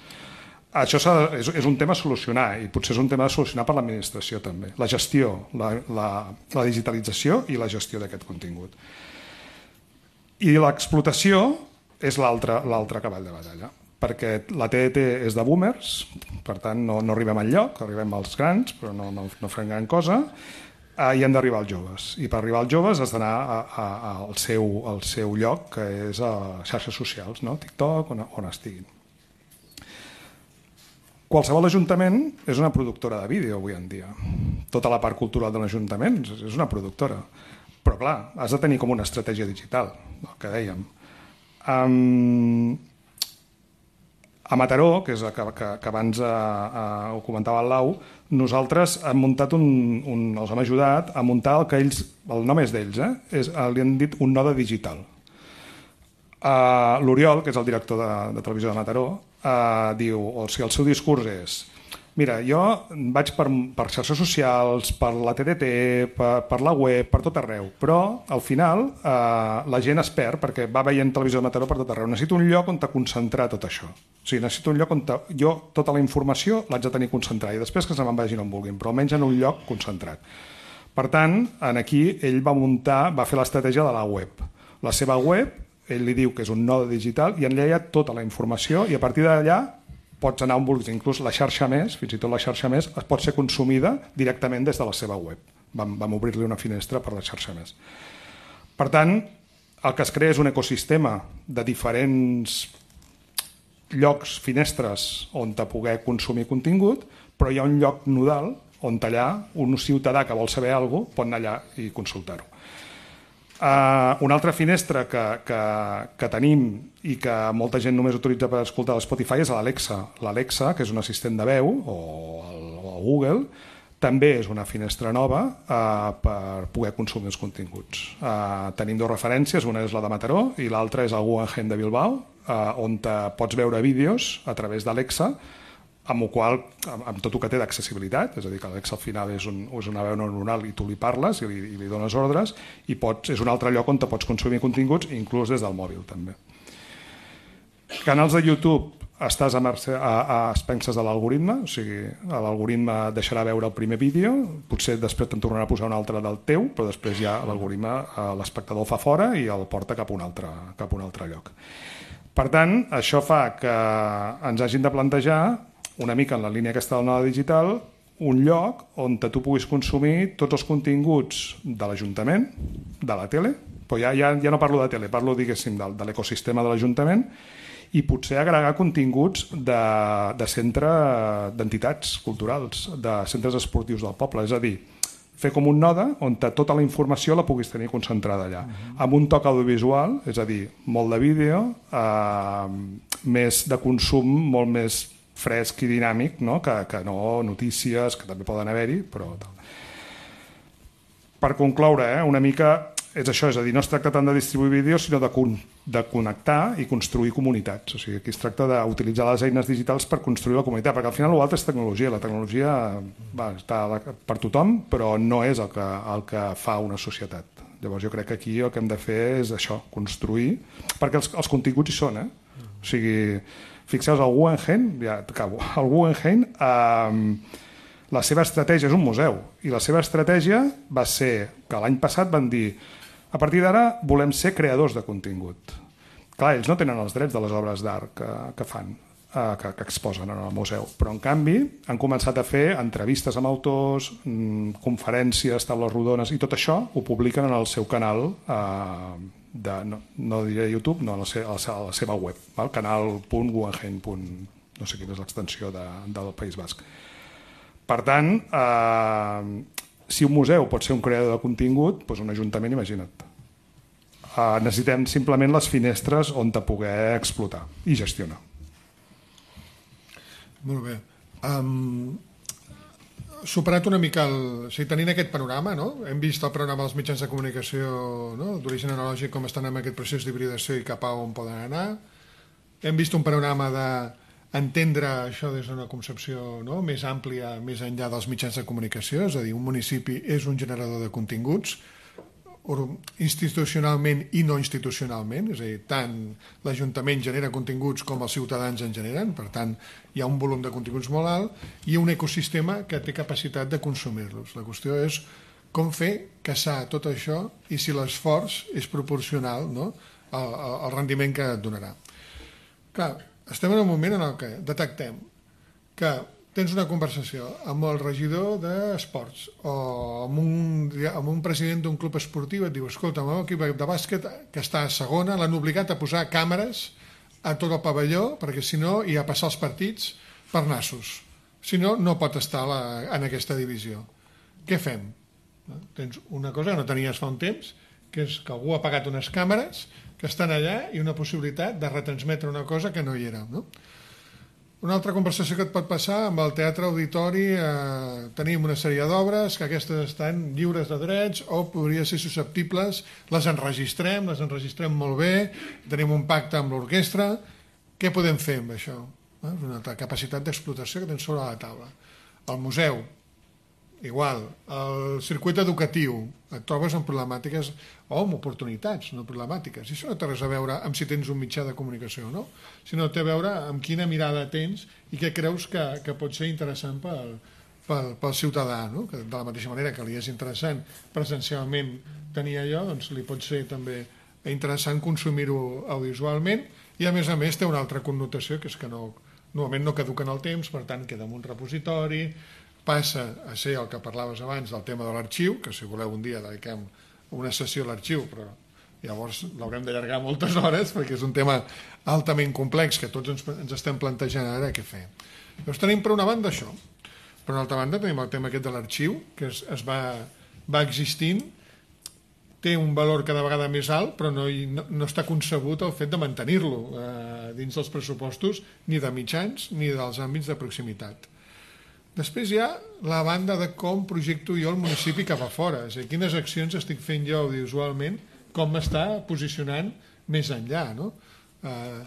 Això és, és un tema a solucionar, i potser és un tema a solucionar per l'administració també. La gestió, la, la, la digitalització i la gestió d'aquest contingut. I l'explotació és l'altre l'altre cavall de batalla, perquè la T D T és de boomers, per tant no, no arribem al lloc, arribem als grans, però no, no, no fem gran cosa, eh, i hem d'arribar als joves. I per arribar als joves has d'anar a, a, a, al, seu, al seu lloc, que és a xarxes socials, no? TikTok, on, on estiguin. Qualsevol ajuntament és una productora de vídeo avui en dia. Tota la part cultural de l'Ajuntament és una productora. Però clar, has de tenir com una estratègia digital, el que dèiem. Um, a Mataró, que és que, que, que abans uh, uh, ho comentava el Lau, nosaltres hem muntat un, un, els hem ajudat a muntar el que ells, el nom és d'ells, eh? és, li han dit un node digital. Uh, L'Oriol, que és el director de, de televisió de Mataró, uh, diu, o sigui, el seu discurs és: mira, jo vaig per, per xarxes socials, per la T D T, per, per la web, per tot arreu, però al final eh, la gent es perd perquè va veient televisió de Mataró per tot arreu. Necessito un lloc on te concentrar tot això. O sigui, necessito un lloc on te, jo tota la informació l'haig de tenir concentrada i després que se me'n vagin on vulguin, però almenys en un lloc concentrat. Per tant, en aquí ell va muntar, va fer l'estratègia de la web. La seva web, ell li diu que és un node digital i en ella hi ha tota la informació i a partir d'allà pots anar on vulguis, inclús la xarxa més, fins i tot la xarxa més, es pot ser consumida directament des de la seva web. Vam, vam obrir-li una finestra per la xarxa més. Per tant, el que es crea és un ecosistema de diferents llocs, finestres, on te poder consumir contingut, però hi ha un lloc nodal on allà un ciutadà que vol saber alguna cosa pot anar allà i consultar-ho. Uh, una altra finestra que, que, que tenim i que molta gent només utilitza per escoltar l'Spotify és l'Alexa. L'Alexa, que és un assistent de veu, o el, o el Google, també és una finestra nova uh, per poder consumir els continguts. Uh, tenim dues referències, una és la de Mataró i l'altra és el Guggenheim de Bilbao, uh, on te pots veure vídeos a través d'Alexa, amb el qual, amb tot el que té d'accessibilitat, és a dir, que l'Alexa al final és, un, és una veu neuronal i tu li parles i li, i li dones ordres, i pots, és un altre lloc on te pots consumir continguts, inclús des del mòbil també. Canals de YouTube, estàs a, mercè, a, a expenses de l'algoritme, o sigui, l'algoritme deixarà veure el primer vídeo, potser després te'n tornarà a posar un altre del teu, però després ja l'algoritme, l'espectador fa fora i el porta cap a un altre, cap a un altre lloc. Per tant, això fa que ens hagin de plantejar una mica en la línia aquesta del node digital, un lloc on tu puguis consumir tots els continguts de l'Ajuntament, de la tele, però ja, ja, ja no parlo de tele, parlo, diguéssim, de, de l'ecosistema de l'Ajuntament, i potser agregar continguts de, de centre d'entitats culturals, de centres esportius del poble, és a dir, fer com un node on tota la informació la puguis tenir concentrada allà, uh-huh. amb un toc audiovisual, és a dir, molt de vídeo, eh, més de consum, molt més fresc i dinàmic, no? Que, que no notícies, que també poden haver-hi, però tal. Per concloure, eh, una mica és això, és a dir, no es tracta tant de distribuir vídeos, sinó de, con de connectar i construir comunitats. O sigui, aquí es tracta d'utilitzar les eines digitals per construir la comunitat, perquè al final l'altre és tecnologia. La tecnologia va, està per tothom, però no és el que, el que fa una societat. Llavors jo crec que aquí el que hem de fer és això, construir, perquè els, els continguts hi són, eh? O sigui, fixeu-vos, el Guggenheim, ja acabo, el Guggenheim, eh, La seva estratègia és un museu, i la seva estratègia va ser que l'any passat van dir a partir d'ara volem ser creadors de contingut. Clar, ells no tenen els drets de les obres d'art que, que fan, eh, que, que exposen en el museu, però en canvi han començat a fer entrevistes amb autors, mmm, conferències, taules rodones, i tot això ho publiquen en el seu canal, eh, de, no, no diré YouTube, no, a la, se, a la seva web, val? canal punt guggenheim. No sé quina és l'extensió de, del País Basc. Per tant, eh, si un museu pot ser un creador de contingut, doncs un ajuntament, imagina't. Uh, necessitem simplement les finestres on te poder explotar i gestionar. Molt bé. Um, superat una mica el... O sigui, tenint aquest panorama, no? Hem vist el panorama dels mitjans de comunicació, no? D'origen analògic, com estan en aquest procés d'hibridació i cap a on poden anar. Hem vist un panorama d'entendre això des d'una concepció, no? Més àmplia, més enllà dels mitjans de comunicació, és a dir, un municipi és un generador de continguts, institucionalment i no institucionalment, és a dir, tant l'Ajuntament genera continguts com els ciutadans en generen, per tant hi ha un volum de continguts molt alt i un ecosistema que té capacitat de consumir-los. La qüestió és com fer caçar tot això i si l'esforç és proporcional, no?, al, al rendiment que et donarà. Clar, estem en un moment en el que detectem que tens una conversació amb el regidor d'esports o amb un, amb un president d'un club esportiu, et diu, escolta, el meu equip de bàsquet que està a segona l'han obligat a posar càmeres a tot el pavelló perquè si no hi ha passar els partits per nassos. Si no, no pot estar la, en aquesta divisió. Què fem? Tens una cosa que no tenies fa un temps, que és que algú ha pagat unes càmeres que estan allà i una possibilitat de retransmetre una cosa que no hi era, no? Una altra conversació que et pot passar amb el Teatre Auditori, eh, tenim una sèrie d'obres que aquestes estan lliures de drets o podrien ser susceptibles, les enregistrem, les enregistrem molt bé, tenim un pacte amb l'orquestra, què podem fer amb això? Eh? És una altra capacitat d'explotació que tens sobre la taula. El museu, igual, el circuit educatiu, et trobes amb problemàtiques o amb oportunitats, no problemàtiques. I això no té res a veure amb si tens un mitjà de comunicació o no, sinó té a veure amb quina mirada tens i què creus que, que pot ser interessant pel, pel, pel ciutadà, no? Que de la mateixa manera que li és interessant presencialment tenir allò, doncs li pot ser també interessant consumir-ho audiovisualment i a més a més té una altra connotació que és que no, normalment no caduca en el temps, per tant queda en un repositori, passa a ser el que parlaves abans del tema de l'arxiu, que si voleu un dia dediquem una sessió a l'arxiu, però llavors l'haurem d'allargar moltes hores perquè és un tema altament complex que tots ens, ens estem plantejant ara què fer. Llavors tenim per una banda això, per una altra banda tenim el tema aquest de l'arxiu, que es, es va, va existint, té un valor cada vegada més alt, però no, no, no està concebut el fet de mantenir-lo eh, dins dels pressupostos ni de mitjans ni dels àmbits de proximitat. Després hi ha la banda de com projecto jo el municipi cap a fora, és a dir, quines accions estic fent jo audiovisualment, com m'està posicionant més enllà, no? Eh,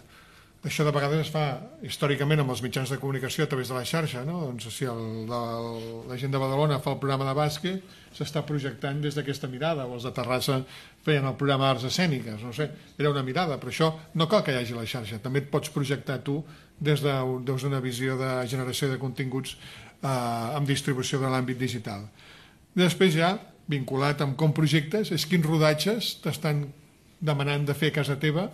això de vegades es fa històricament amb els mitjans de comunicació a través de la xarxa, no? Doncs si el, el, la gent de Badalona fa el programa de bàsquet, s'està projectant des d'aquesta mirada, o els de Terrassa feien el programa d'arts escèniques, no sé, era una mirada, però això no cal que hi hagi la xarxa, també et pots projectar tu des d'una visió de generació de continguts Eh, amb distribució de l'àmbit digital. Després ja, vinculat amb com projectes, és quins rodatges t'estan demanant de fer a casa teva,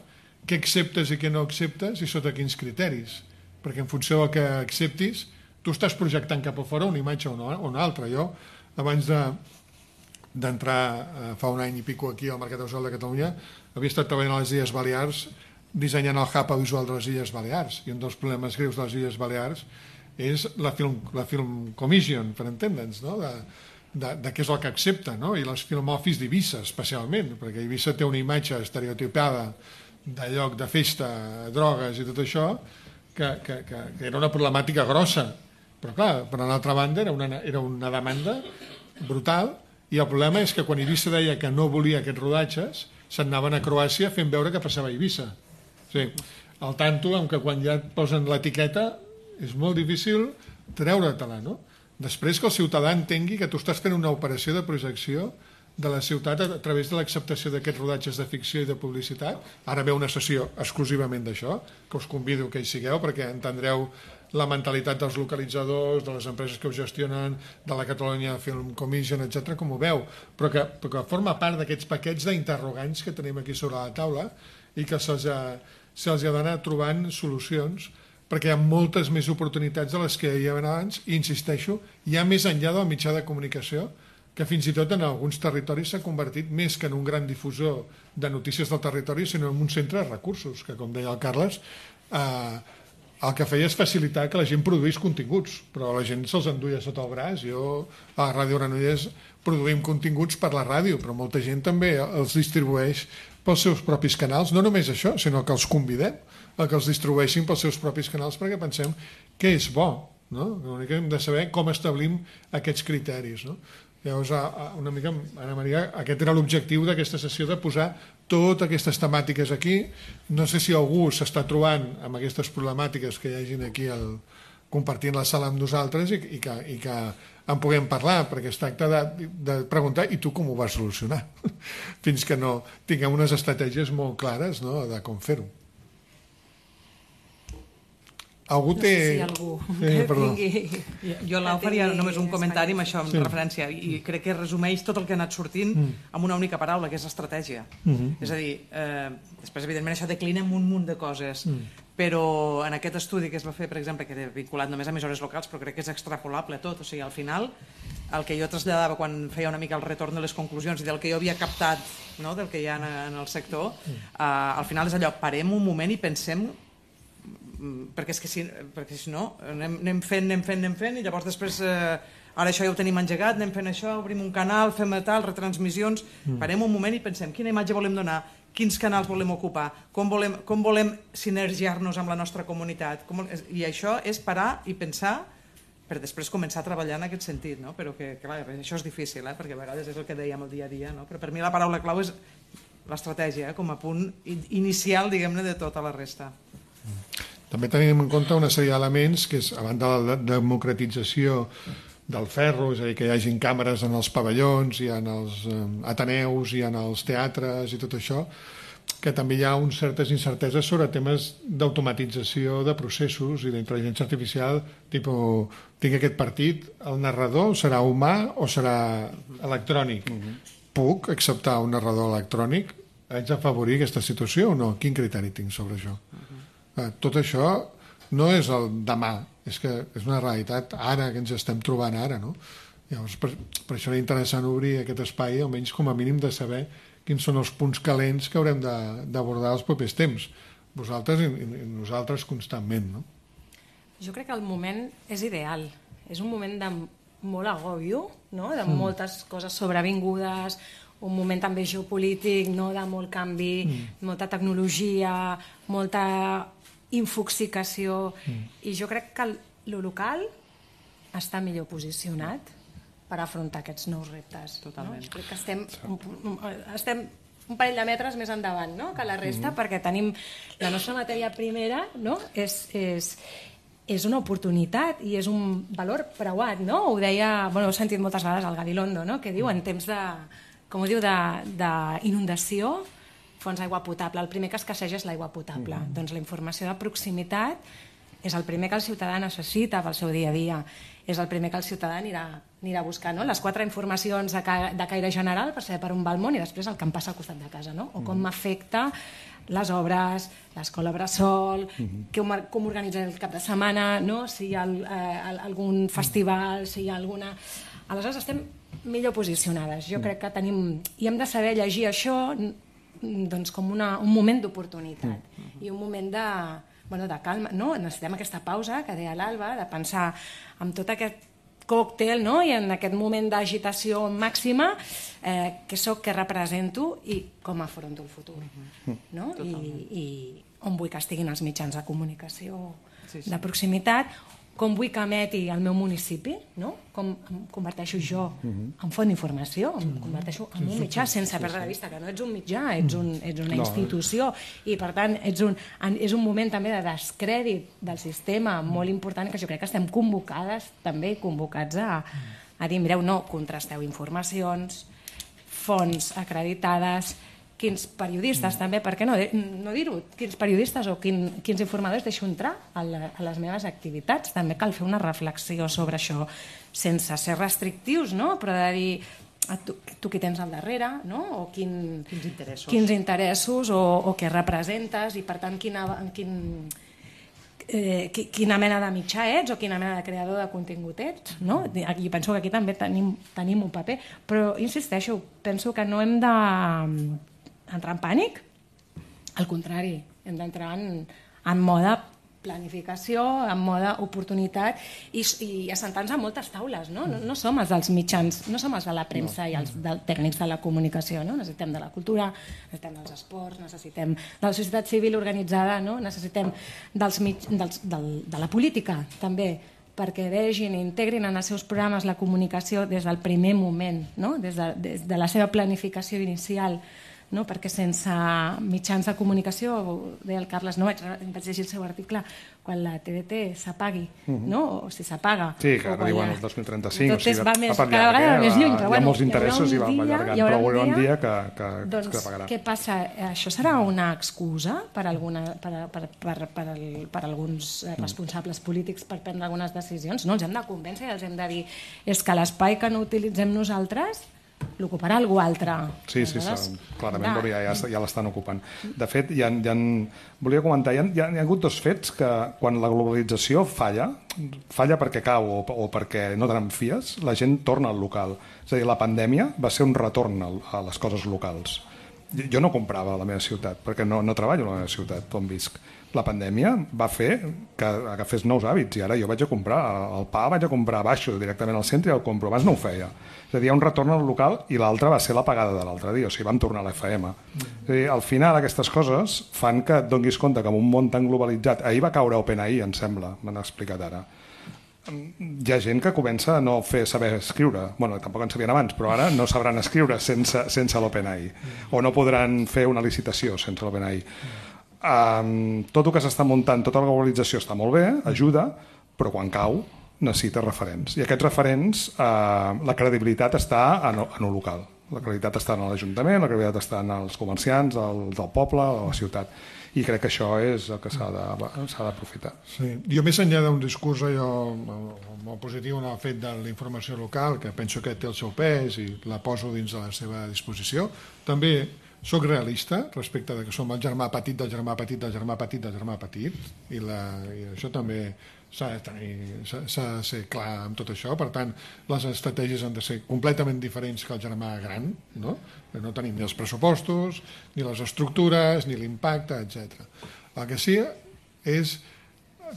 què acceptes i què no acceptes i sota quins criteris. Perquè en funció del que acceptis, tu estàs projectant cap a fora una imatge o una, una altra. Jo, abans de d'entrar eh, fa un any i pico aquí al Mercat Audiovisual de Catalunya, havia estat treballant a les Illes Balears dissenyant el hub audiovisual de les Illes Balears, i un dels problemes greus de les Illes Balears és la Film, la film Commission, per entendre'ns, no? de, de, de què és el que accepta, no? I les Film Office d'Eivissa, especialment, perquè Eivissa té una imatge estereotipada de lloc de festa, drogues i tot això, que, que, que, que era una problemàtica grossa. Però clar, per l'altra banda, era una, era una demanda brutal, i el problema és que quan Eivissa deia que no volia aquests rodatges, se'n anaven a Croàcia fent veure que passava a Eivissa. O sigui, al tanto, amb que quan ja et posen l'etiqueta, és molt difícil treure-te-la, no? Després que el ciutadà entengui que tu estàs fent una operació de projecció de la ciutat a través de l'acceptació d'aquests rodatges de ficció i de publicitat. Ara ve una sessió exclusivament d'això, que us convido que hi sigueu perquè entendreu la mentalitat dels localitzadors, de les empreses que ho gestionen, de la Catalunya Film Commission, etcètera, com ho veu, però que, però que forma part d'aquests paquets d'interrogants que tenim aquí sobre la taula i que se'ls ha, se'ls ha d'anar trobant solucions, perquè hi ha moltes més oportunitats de les que hi havia abans, i insisteixo, hi ha més enllà del mitjà de comunicació, que fins i tot en alguns territoris s'ha convertit més que en un gran difusor de notícies del territori, sinó en un centre de recursos, que, com deia el Carles, eh, el que feia és facilitar que la gent produís continguts, però la gent se'ls enduia sota el braç. Jo a la Ràdio Granollers produïm continguts per la ràdio, però molta gent també els distribueix pels seus propis canals, no només això, sinó que els convidem a que els distribueixin pels seus propis canals perquè pensem que és bo, no? L'únic que hem de saber com establim aquests criteris, no? Llavors, una mica, Anna Maria, aquest era l'objectiu d'aquesta sessió, de posar totes aquestes temàtiques aquí. No sé si algú s'està trobant amb aquestes problemàtiques que hi hagin aquí el, compartint la sala amb nosaltres i, i, que, i que en puguem parlar, perquè es tracta de, de preguntar i tu com ho vas solucionar, fins que no tinguem unes estratègies molt clares, no?, de com fer-ho. Algú té... No sé si algú sí, que tingui... Jo, Lau, faria només un comentari amb això, amb sí. referència, i crec que resumeix tot el que ha anat sortint mm. amb una única paraula, que és estratègia. Mm -hmm. És a dir, eh, després, evidentment, això declina en un munt de coses, mm. però en aquest estudi que es va fer, per exemple, que era vinculat només a emissores locals, però crec que és extrapolable tot, o sigui, al final, el que jo traslladava quan feia una mica el retorn de les conclusions i del que jo havia captat, no?, del que hi ha en el sector, mm. eh, al final és allò, parem un moment i pensem, perquè és que si, perquè si no anem, anem fent, anem fent, anem fent i llavors després, eh, ara això ja ho tenim engegat, anem fent això, obrim un canal, fem tal, retransmissions, mm. parem un moment i pensem quina imatge volem donar, quins canals volem ocupar, com volem, com volem sinergiar-nos amb la nostra comunitat, com, i això és parar i pensar per després començar a treballar en aquest sentit, no? Però que, clar, això és difícil, eh? Perquè a vegades és el que dèiem el dia a dia, no? Però per mi la paraula clau és l'estratègia, eh? Com a punt inicial, diguem-ne, de tota la resta. També tenim en compte una sèrie d'elements, que és, a banda de la democratització del ferro, és a dir, que hi hagin càmeres en els pavellons i en els eh, ateneus i en els teatres i tot això, que també hi ha unes certes incerteses sobre temes d'automatització de processos i d'intel·ligència artificial, tipus, tinc aquest partit, el narrador serà humà o serà electrònic? Uh-huh. Puc acceptar un narrador electrònic? Haig d'afavorir aquesta situació o no? Quin criteri tinc sobre això? Uh-huh. Tot això no és el demà, és que és una realitat ara, que ens estem trobant ara, no? Llavors, per, per això era interessant obrir aquest espai, almenys com a mínim de saber quins són els punts calents que haurem d'abordar els propers temps, vosaltres i, i nosaltres constantment, no? Jo crec que el moment és ideal, és un moment de molt agòbio, no? De mm. moltes coses sobrevingudes, un moment també geopolític, no? De molt canvi, mm. molta tecnologia, molta infoxicació, mm. i jo crec que el local està millor posicionat per afrontar aquests nous reptes. Totalment. No? Crec que estem un, estem un parell de metres més endavant, no?, que la resta, mm-hmm. perquè tenim la nostra matèria primera, no?, és, és, és una oportunitat i és un valor preuat, no? Ho deia, bueno, ho he sentit moltes vegades al Gabilondo, no?, que diu en temps de, com ho diu, d'inundació, fons d'aigua potable. El primer que escasseja és l'aigua potable. Mm-hmm. Doncs la informació de proximitat és el primer que el ciutadà necessita pel seu dia a dia. És el primer que el ciutadà anirà, anirà a buscar, no? Les quatre informacions de, ca, de caire general per saber per on va el món i després el que em passa al costat de casa, no? O com m'afecta les obres, l'escola bressol, mm-hmm. com, com organitzar el cap de setmana, no? Si hi ha el, eh, algun festival, si hi ha alguna... Aleshores estem millor posicionades. Jo crec que tenim... I hem de saber llegir això doncs, com una, un moment d'oportunitat mm-hmm. i un moment de... Bueno, de calma, no? Necessitem aquesta pausa que deia l'Alba, de pensar en tot aquest còctel, no? I en aquest moment d'agitació màxima, eh, què soc, què represento i com afronto el futur, no? I, i on vull que estiguin els mitjans de comunicació sí, sí. de proximitat, com vull que emeti el meu municipi, no? Com em converteixo jo en font d'informació, em converteixo en un mitjà, sense perdre de vista que no ets un mitjà, ets, un, ets una institució i per tant ets un, és un moment també de descrèdit del sistema molt important que jo crec que estem convocades també convocats a, a dir, mireu, no, contrasteu informacions, fonts acreditades, quins periodistes, també, per què no, no dir-ho, quins periodistes o quin, quins informadors deixo entrar a, la, a les meves activitats. També cal fer una reflexió sobre això, sense ser restrictius, no? Però de dir, tu, tu qui tens al darrere, no? O quin, quins interessos, quins interessos o, o què representes i, per tant, quina, quin, eh, quina mena de mitjà ets o quina mena de creador de contingut ets, no? Jo penso que aquí també tenim, tenim un paper, però insisteixo, penso que no hem de entrar en pànic, al contrari, hem d'entrar en, en mode planificació, en mode oportunitat i, i assentar-nos a moltes taules, no? No, no som els dels mitjans, no som els de la premsa i els del, tècnics de la comunicació, no? Necessitem de la cultura, necessitem dels esports, necessitem de la societat civil organitzada, no? Necessitem dels mig, dels, del, de la política, també, perquè vegin i integrin en els seus programes la comunicació des del primer moment, no? Des de, des de la seva planificació inicial, no? Perquè sense mitjans de comunicació, deia el Carles, no vaig, vaig llegir el seu article, quan la T D T s'apagui, uh-huh. no? O si s'apaga. Sí, que ara diuen el dos mil trenta-cinc, tot o sigui, va més, cada vegada va més lluny, però hi ha bueno, molts interessos i va allargant, però hi haurà un dia que, que, doncs, que apagarà. Què passa? Això serà una excusa per, alguna, per, per, per, per, el, per alguns responsables polítics per prendre algunes decisions? No, els hem de convèncer i els hem de dir és que l'espai que no utilitzem nosaltres l'ocuparà algú altre. Sí, sí, sí, clarament, però ja, ja, ja l'estan ocupant. De fet, hi ha, hi ha, volia comentar, hi ha, hi ha hagut dos fets que quan la globalització falla, falla perquè cau o, o perquè no te n'enfies, la gent torna al local. És a dir, la pandèmia va ser un retorn a les coses locals. Jo no comprava a la meva ciutat, perquè no, no treballo a la meva ciutat on visc. La pandèmia va fer que agafés nous hàbits i ara jo vaig a comprar el pa, vaig a comprar baixo directament al centre i el compro. Abans no ho feia. És a dir, hi ha un retorn al local i l'altre va ser l'apagada de l'altre dia, o sigui, vam tornar a l'F M. És a dir, al final aquestes coses fan que et donis compte que en un món tan globalitzat, ahir va caure OpenAI, em sembla, m'han explicat ara, hi ha gent que comença a no fer saber escriure, bueno, tampoc en sabien abans, però ara no sabran escriure sense, sense l'OpenAI, o no podran fer una licitació sense l'OpenAI. Um, tot el que s'està muntant, tota la globalització està molt bé, ajuda, però quan cau necessita referents. I aquests referents, uh, la credibilitat està en el local. La credibilitat està en l'Ajuntament, la credibilitat està en els comerciants, el, del poble, de la ciutat. I crec que això és el que s'ha d'aprofitar. Sí. Jo, més enllà d'un discurs allò, molt positiu en el fet de la informació local, que penso que té el seu pes i la poso dins de la seva disposició, també soc realista respecte de que som el germà petit del germà petit del germà petit del germà petit i, la, i això també s'ha de, tenir, s'ha de ser clar amb tot això. Per tant, les estratègies han de ser completament diferents que el germà gran, no? No tenim ni els pressupostos, ni les estructures, ni l'impacte, etcètera. El que sí és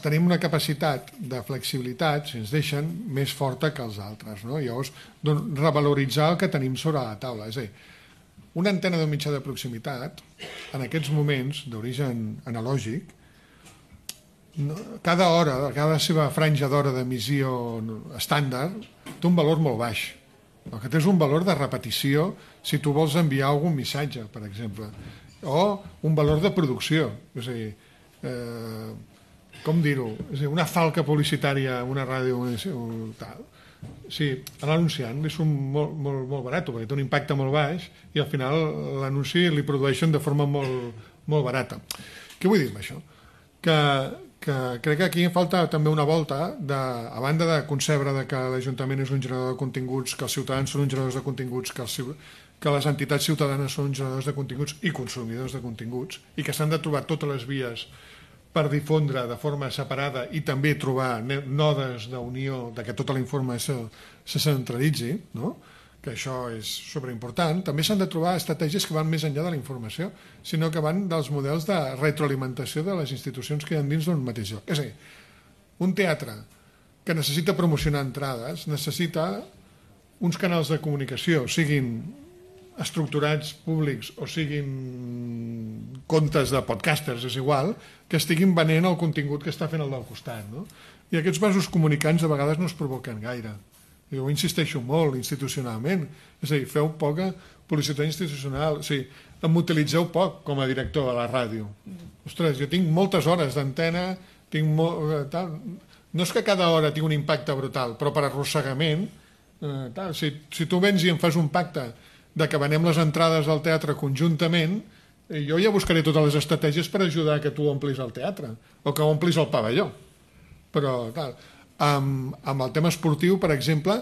tenim una capacitat de flexibilitat, si ens deixen, més forta que els altres, no? Llavors, revaloritzar el que tenim sobre la taula. És a dir, una antena d'un mitjà de proximitat, en aquests moments d'origen analògic, cada hora, cada seva franja d'hora d'emissió estàndard, té un valor molt baix. El que té és un valor de repetició si tu vols enviar algun missatge, per exemple, o un valor de producció. És a dir, eh, com dir-ho? És a dir, una falca publicitària, una ràdio, tal. Sí, l'anunciant és un molt, molt, molt barat, perquè té un impacte molt baix i al final l'anunci li produeixen de forma molt, molt barata. Què vull dir amb això? Que, que crec que aquí falta també una volta, de, a banda de concebre de que l'Ajuntament és un generador de continguts, que els ciutadans són uns generadors de continguts, que, els, que les entitats ciutadanes són uns generadors de continguts i consumidors de continguts, i que s'han de trobar totes les vies per difondre de forma separada i també trobar nodes d'unió de que tota la informació se centralitzi, no? Que això és superimportant. També s'han de trobar estratègies que van més enllà de la informació, sinó que van dels models de retroalimentació de les institucions que hi ha dins d'un mateix lloc. És a dir, un teatre que necessita promocionar entrades necessita uns canals de comunicació, siguin estructurats públics o siguin comptes de podcasters, és igual, que estiguin venent el contingut que està fent el del costat, no? I aquests vasos comunicants a vegades no es provoquen gaire. Jo insisteixo molt institucionalment, és a dir, feu poca publicitat institucional, o sigui, em utilitzeu poc com a director a la ràdio. Ostres, jo tinc moltes hores d'antena, tinc molt, tal. No és que cada hora tingui un impacte brutal, però per arrossegament, eh, tal. Si, si tu vens i em fas un pacte de que venem les entrades al teatre conjuntament, jo ja buscaré totes les estratègies per ajudar que tu omplis el teatre o que omplis el pavelló. Però, clar, amb, amb el tema esportiu, per exemple,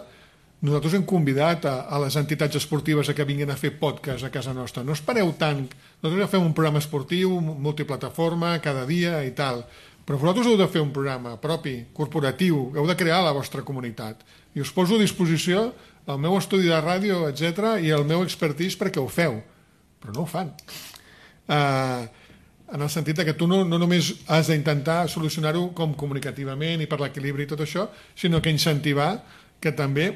nosaltres hem convidat a, a les entitats esportives a que vinguin a fer podcast a casa nostra. No espereu tant. Nosaltres ja fem un programa esportiu, multiplataforma, cada dia i tal. Però vosaltres heu de fer un programa propi, corporatiu, heu de crear la vostra comunitat. I us poso a disposició el meu estudi de ràdio, etcètera, i el meu expertise perquè ho feu. Però no ho fan. Uh, en el sentit que tu no, no només has d'intentar solucionar-ho com comunicativament i per l'equilibri i tot això, sinó que incentivar que també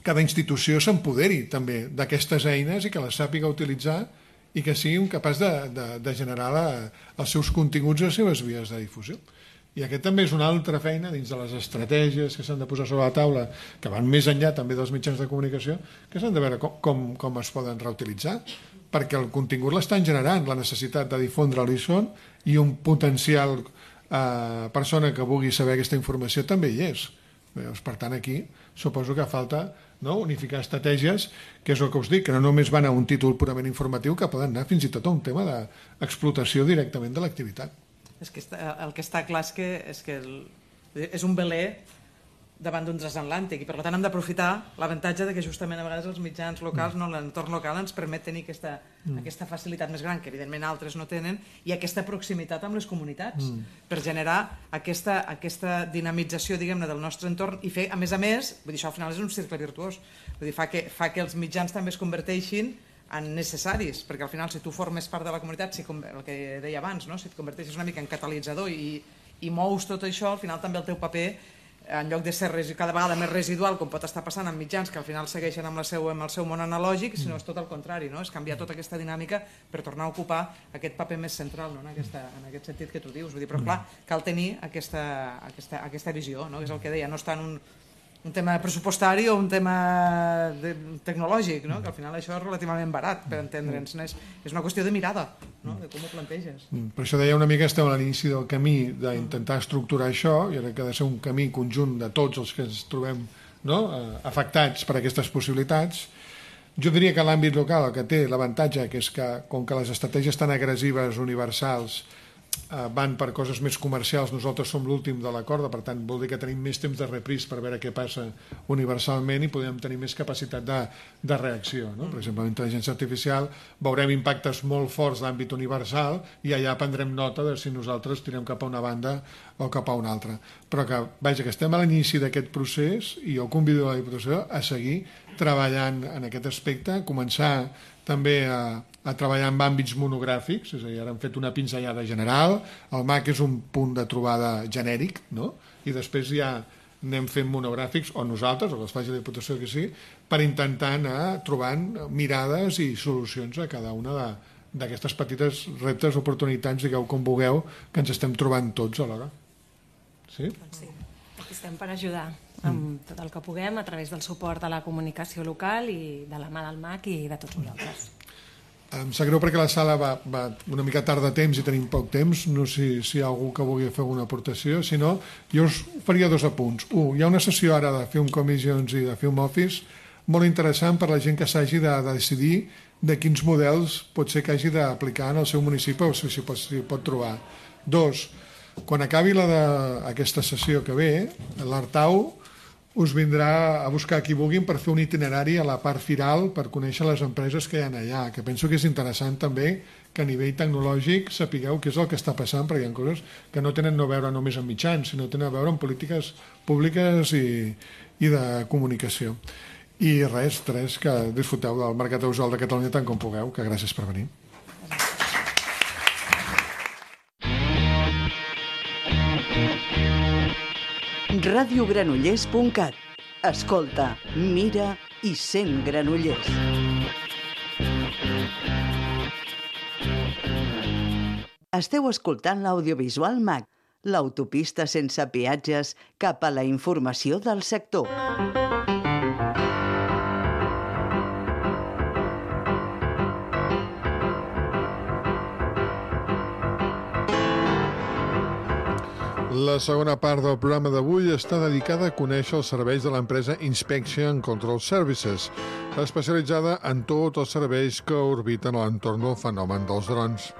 cada institució s'empoderi també d'aquestes eines i que les sàpiga utilitzar i que sigui capaç de, de, de generar la, els seus continguts i les seves vies de difusió. I aquest també és una altra feina dins de les estratègies que s'han de posar sobre la taula, que van més enllà també dels mitjans de comunicació, que s'han de veure com, com, com es poden reutilitzar, perquè el contingut l'estan generant, la necessitat de difondre-li són, i un potencial eh, persona que vulgui saber aquesta informació també hi és. Per tant, aquí suposo que falta, no, unificar estratègies, que és el que us dic, que no només van a un títol purament informatiu, que poden anar fins i tot a un tema d'explotació directament de l'activitat. És que està, el que està clar és que, és, que el, és un veler davant d'un transatlàntic i per tant hem d'aprofitar l'avantatge de que justament a vegades els mitjans locals, no, l'entorn local ens permet tenir aquesta, mm. aquesta facilitat més gran que evidentment altres no tenen i aquesta proximitat amb les comunitats mm. per generar aquesta, aquesta dinamització diguem-ne del nostre entorn i fer a més a més, vull dir, això al final és un cercle virtuós, vull dir, fa que, fa que els mitjans també es converteixin en necessaris, perquè al final si tu formes part de la comunitat, si, el que deia abans, no? Si et converteixes una mica en catalitzador i, i mous tot això, al final també el teu paper en lloc de ser cada vegada més residual, com pot estar passant amb mitjans que al final segueixen amb, la seu, amb el seu món analògic, sinó és tot el contrari, no? És canviar tota aquesta dinàmica per tornar a ocupar aquest paper més central, no? en, aquesta, en aquest sentit que tu dius. Vull dir, però clar, cal tenir aquesta, aquesta, aquesta visió, no? És el que deia, no està en un, un tema pressupostari o un tema de, tecnològic, no? Que al final això és relativament barat per entendre'ns, és, és una qüestió de mirada, no? De com ho planteges. Per això deia una mica que estem a l'inici del camí d'intentar estructurar això i ara que ha de ser un camí conjunt de tots els que ens trobem, no? afectats per aquestes possibilitats. Jo diria que l'àmbit local el que té l'avantatge que és que com que les estratègies tan agressives, universals, van per coses més comercials, nosaltres som l'últim de la corda, per tant vol dir que tenim més temps de repris per veure què passa universalment i podem tenir més capacitat de, de reacció, no? Per exemple, amb intel·ligència artificial veurem impactes molt forts d'àmbit universal i allà prendrem nota de si nosaltres tirem cap a una banda o cap a una altra, però que, vaja, que estem a l'inici d'aquest procés i jo convido a la Diputació a seguir treballant en aquest aspecte, començar també a, a treballar en àmbits monogràfics, és a dir, ara hem fet una pinzellada general, el M A C és un punt de trobada genèric, no? I després ja anem fent monogràfics, o nosaltres, o que els faci la Diputació que sí, per intentar anar trobant mirades i solucions a cada una d'aquestes petites reptes, oportunitats, digueu com vulgueu, que ens estem trobant tots alhora. Sí? Sí, aquí estem per ajudar amb tot el que puguem a través del suport a la comunicació local i de la mà del M A C i de tots vosaltres. Em sap greu perquè la sala va, va una mica tard de temps i tenim poc temps, no sé si hi ha algú que vulgui fer alguna aportació, si no, jo us faria dos apunts. Un, hi ha una sessió ara de Film Commissions i de Film Office molt interessant per la gent que s'hagi de, de decidir de quins models pot ser que hagi d'aplicar en el seu municipi o si, si, pot, si pot trobar. Dos, quan acabi la de, aquesta sessió que ve, l'Artau us vindrà a buscar qui vulguin per fer un itinerari a la part firal per conèixer les empreses que hi ha allà, que penso que és interessant també que a nivell tecnològic sapigueu què és el que està passant, perquè hi ha coses que no tenen no a veure només amb mitjans, sinó tenen a veure amb polítiques públiques i, i de comunicació. I res, tres, que disfruteu del Mercat Audiovisual de Catalunya tant com pugueu, que gràcies per venir. ràdio granollers punt cat. Escolta, mira i sent Granollers. Esteu escoltant l'audiovisual M A C, l'autopista sense peatges cap a la informació del sector. La segona part del programa d'avui està dedicada a conèixer els serveis de l'empresa Inspection Control Services, especialitzada en tots els serveis que orbiten a l'entorn del fenomen dels drons.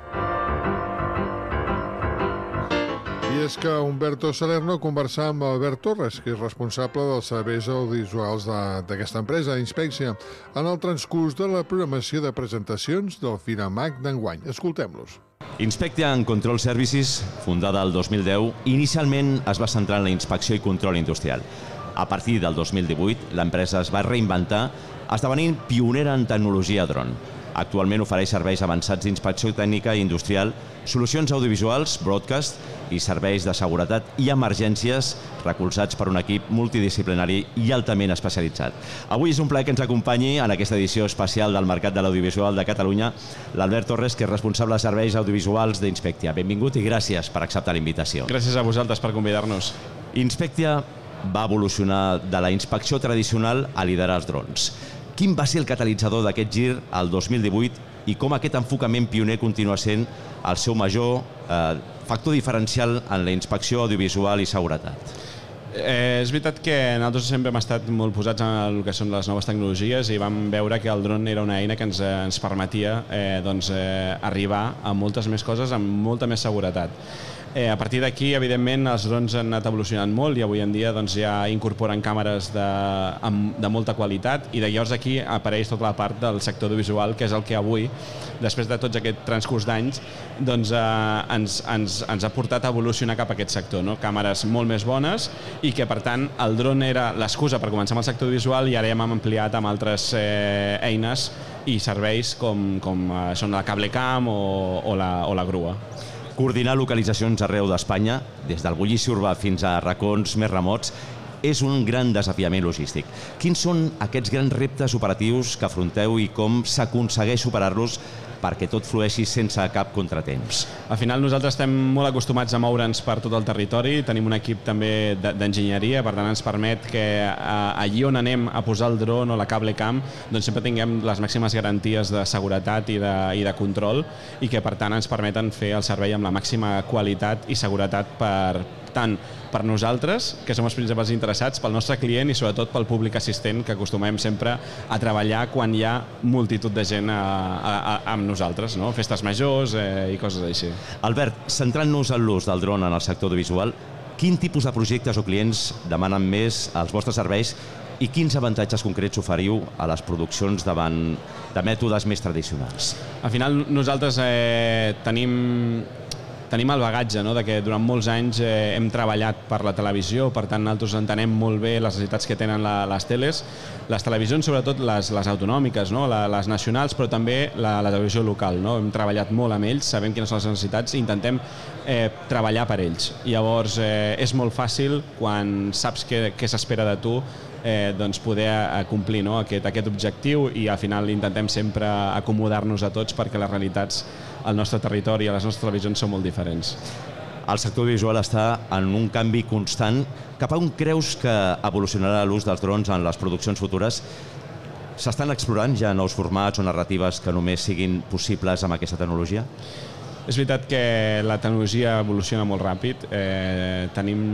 I és que Humberto Salerno conversà amb Albert Torres, que és responsable dels serveis audiovisuals d'aquesta empresa, Inspectia, en el transcurs de la programació de presentacions del Finamac d'enguany. Escoltem-los. Inspectia and Control Services, fundada el dos mil deu, inicialment es va centrar en la inspecció i control industrial. A partir del dos mil divuit, l'empresa es va reinventar, esdevenint pionera en tecnologia dron. Actualment ofereix serveis avançats d'inspecció tècnica i industrial, solucions audiovisuals, broadcast i serveis de seguretat i emergències recolzats per un equip multidisciplinari i altament especialitzat. Avui és un plaer que ens acompanyi en aquesta edició especial del Mercat de l'Audiovisual de Catalunya l'Albert Torres, que és responsable de serveis audiovisuals d'Inspectia. Benvingut i gràcies per acceptar la invitació. Gràcies a vosaltres per convidar-nos. Inspectia va evolucionar de la inspecció tradicional a liderar els drons. Quin va ser el catalitzador d'aquest gir al dos mil divuit i com aquest enfocament pioner continua sent el seu major eh, factor diferencial en la inspecció audiovisual i seguretat? Eh, és veritat que nosaltres sempre hem estat molt posats en el que són les noves tecnologies i vam veure que el dron era una eina que ens, ens permetia eh, doncs, eh, arribar a moltes més coses amb molta més seguretat. Eh, a partir d'aquí, evidentment, els drons han anat evolucionant molt i avui en dia doncs, ja incorporen càmeres de, de molta qualitat i de llavors aquí apareix tota la part del sector audiovisual, que és el que avui, després de tots aquest transcurs d'anys, doncs, eh, ens, ens, ens ha portat a evolucionar cap a aquest sector. No? Càmeres molt més bones i que, per tant, el dron era l'excusa per començar amb el sector audiovisual i ara ja hem ampliat amb altres eh, eines i serveis com, com eh, són la CableCam o, o, la, o la grua. Coordinar localitzacions arreu d'Espanya, des del bullici urbà fins a racons més remots, és un gran desafiament logístic. Quins són aquests grans reptes operatius que afronteu i com s'aconsegueix superar-los perquè tot flueixi sense cap contratemps? Al final nosaltres estem molt acostumats a moure'ns per tot el territori, tenim un equip també d'enginyeria, per tant ens permet que allí on anem a posar el dron o la CableCam doncs sempre tinguem les màximes garanties de seguretat i de, i de control i que per tant ens permeten fer el servei amb la màxima qualitat i seguretat per tant per nosaltres, que som els principals interessats, pel nostre client i sobretot pel públic assistent, que acostumem sempre a treballar quan hi ha multitud de gent a, a, a, amb nosaltres, no? Festes majors eh, i coses així. Albert, centrant-nos en l'ús del dron en el sector audiovisual, quin tipus de projectes o clients demanen més els vostres serveis i quins avantatges concrets oferiu a les produccions davant de mètodes més tradicionals? Al final nosaltres eh, tenim... Tenim el bagatge, no?, de que durant molts anys eh, hem treballat per la televisió, per tant nosaltres entenem molt bé les necessitats que tenen la, les teles, les televisions, sobretot les, les autonòmiques, no?, la, les nacionals, però també la, la televisió local. No? Hem treballat molt amb ells, sabem quines són les necessitats i intentem eh, treballar per ells. Llavors eh, és molt fàcil quan saps què, què s'espera de tu, Eh, doncs poder eh, complir, no? aquest, aquest objectiu i al final intentem sempre acomodar-nos a tots perquè les realitats al nostre territori i a les nostres televisions són molt diferents. El sector audiovisual està en un canvi constant. Cap a on creus que evolucionarà l'ús dels drons en les produccions futures? S'estan explorant ja nous formats o narratives que només siguin possibles amb aquesta tecnologia? És veritat que la tecnologia evoluciona molt ràpid. Eh, tenim...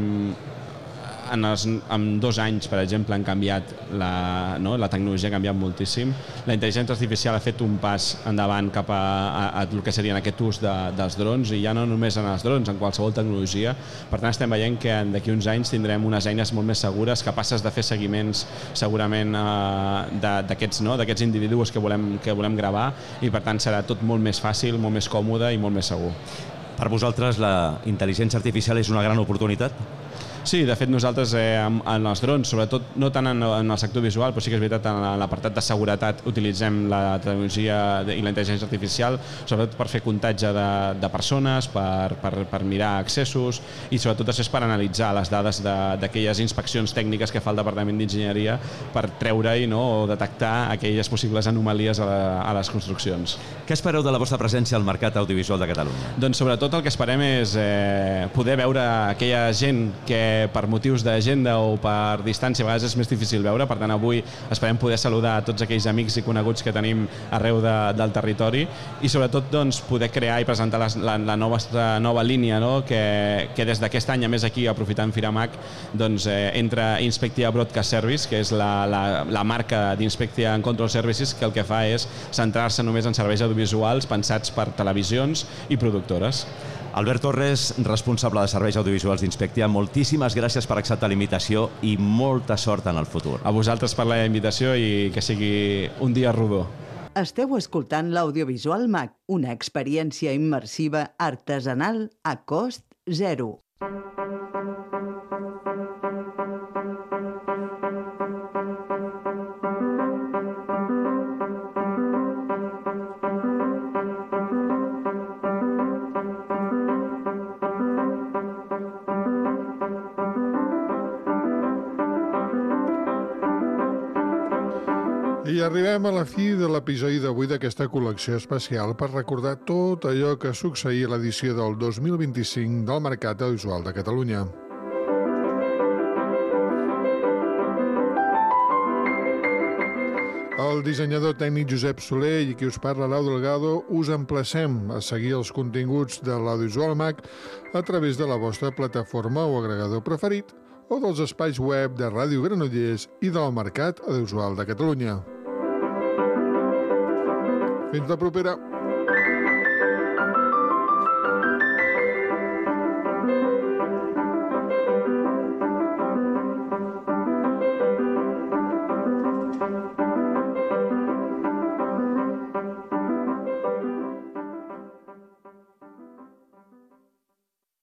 En, els, en dos anys, per exemple, han canviat la, no? la tecnologia ha canviat moltíssim. La intel·ligència artificial ha fet un pas endavant cap a, a, a el que serien aquest ús de, dels drons i ja no només en els drons, en qualsevol tecnologia. Per tant, estem veient que d'aquí uns anys tindrem unes eines molt més segures, capaces de fer seguiments segurament eh, d'aquests no? d'aquests individus que volem, que volem gravar i per tant serà tot molt més fàcil, molt més còmode i molt més segur. Per vosaltres la intel·ligència artificial és una gran oportunitat? Sí, de fet nosaltres eh, en els drons, sobretot no tant en, en el sector visual, però sí que és veritat en l'apartat de seguretat utilitzem la tecnologia i la intel·ligència artificial, sobretot per fer comptatge de, de persones, per, per, per mirar accessos i sobretot és per analitzar les dades d'aquelles inspeccions tècniques que fa el Departament d'Enginyeria per treure-hi no, o detectar aquelles possibles anomalies a, la, a les construccions. Què espereu de la vostra presència al mercat audiovisual de Catalunya? Doncs sobretot el que esperem és eh, poder veure aquella gent que per motius d'agenda o per distància a vegades és més difícil veure, per tant avui esperem poder saludar a tots aquells amics i coneguts que tenim arreu de, del territori i sobretot doncs, poder crear i presentar la, la, la nova, nova línia, no? que, que des d'aquest any, a més aquí, aprofitant Firamac, doncs, eh, entra Inspectia Broadcast Service, que és la, la, la marca d'Inspectia Control Services, que el que fa és centrar-se només en serveis audiovisuals pensats per televisions i productores. Albert Torres, responsable de serveis audiovisuals d'Inspectia, moltíssimes gràcies per acceptar la invitació i molta sort en el futur. A vosaltres per la invitació i que sigui un dia rodó. Esteu escoltant l'Audiovisual Mac, una experiència immersiva artesanal a cost zero. I arribem a la fi de l'episodi d'avui d'aquesta col·lecció especial per recordar tot allò que succeïa a l'edició del dos mil vint-i-cinc del Mercat Audiovisual de Catalunya. El dissenyador tècnic Josep Soler i qui us parla, Lau Delgado, us emplacem a seguir els continguts de l'Audiovisual Mac a través de la vostra plataforma o agregador preferit o dels espais web de Ràdio Granollers i del Mercat Audiovisual de Catalunya. Fins la propera! Thank you.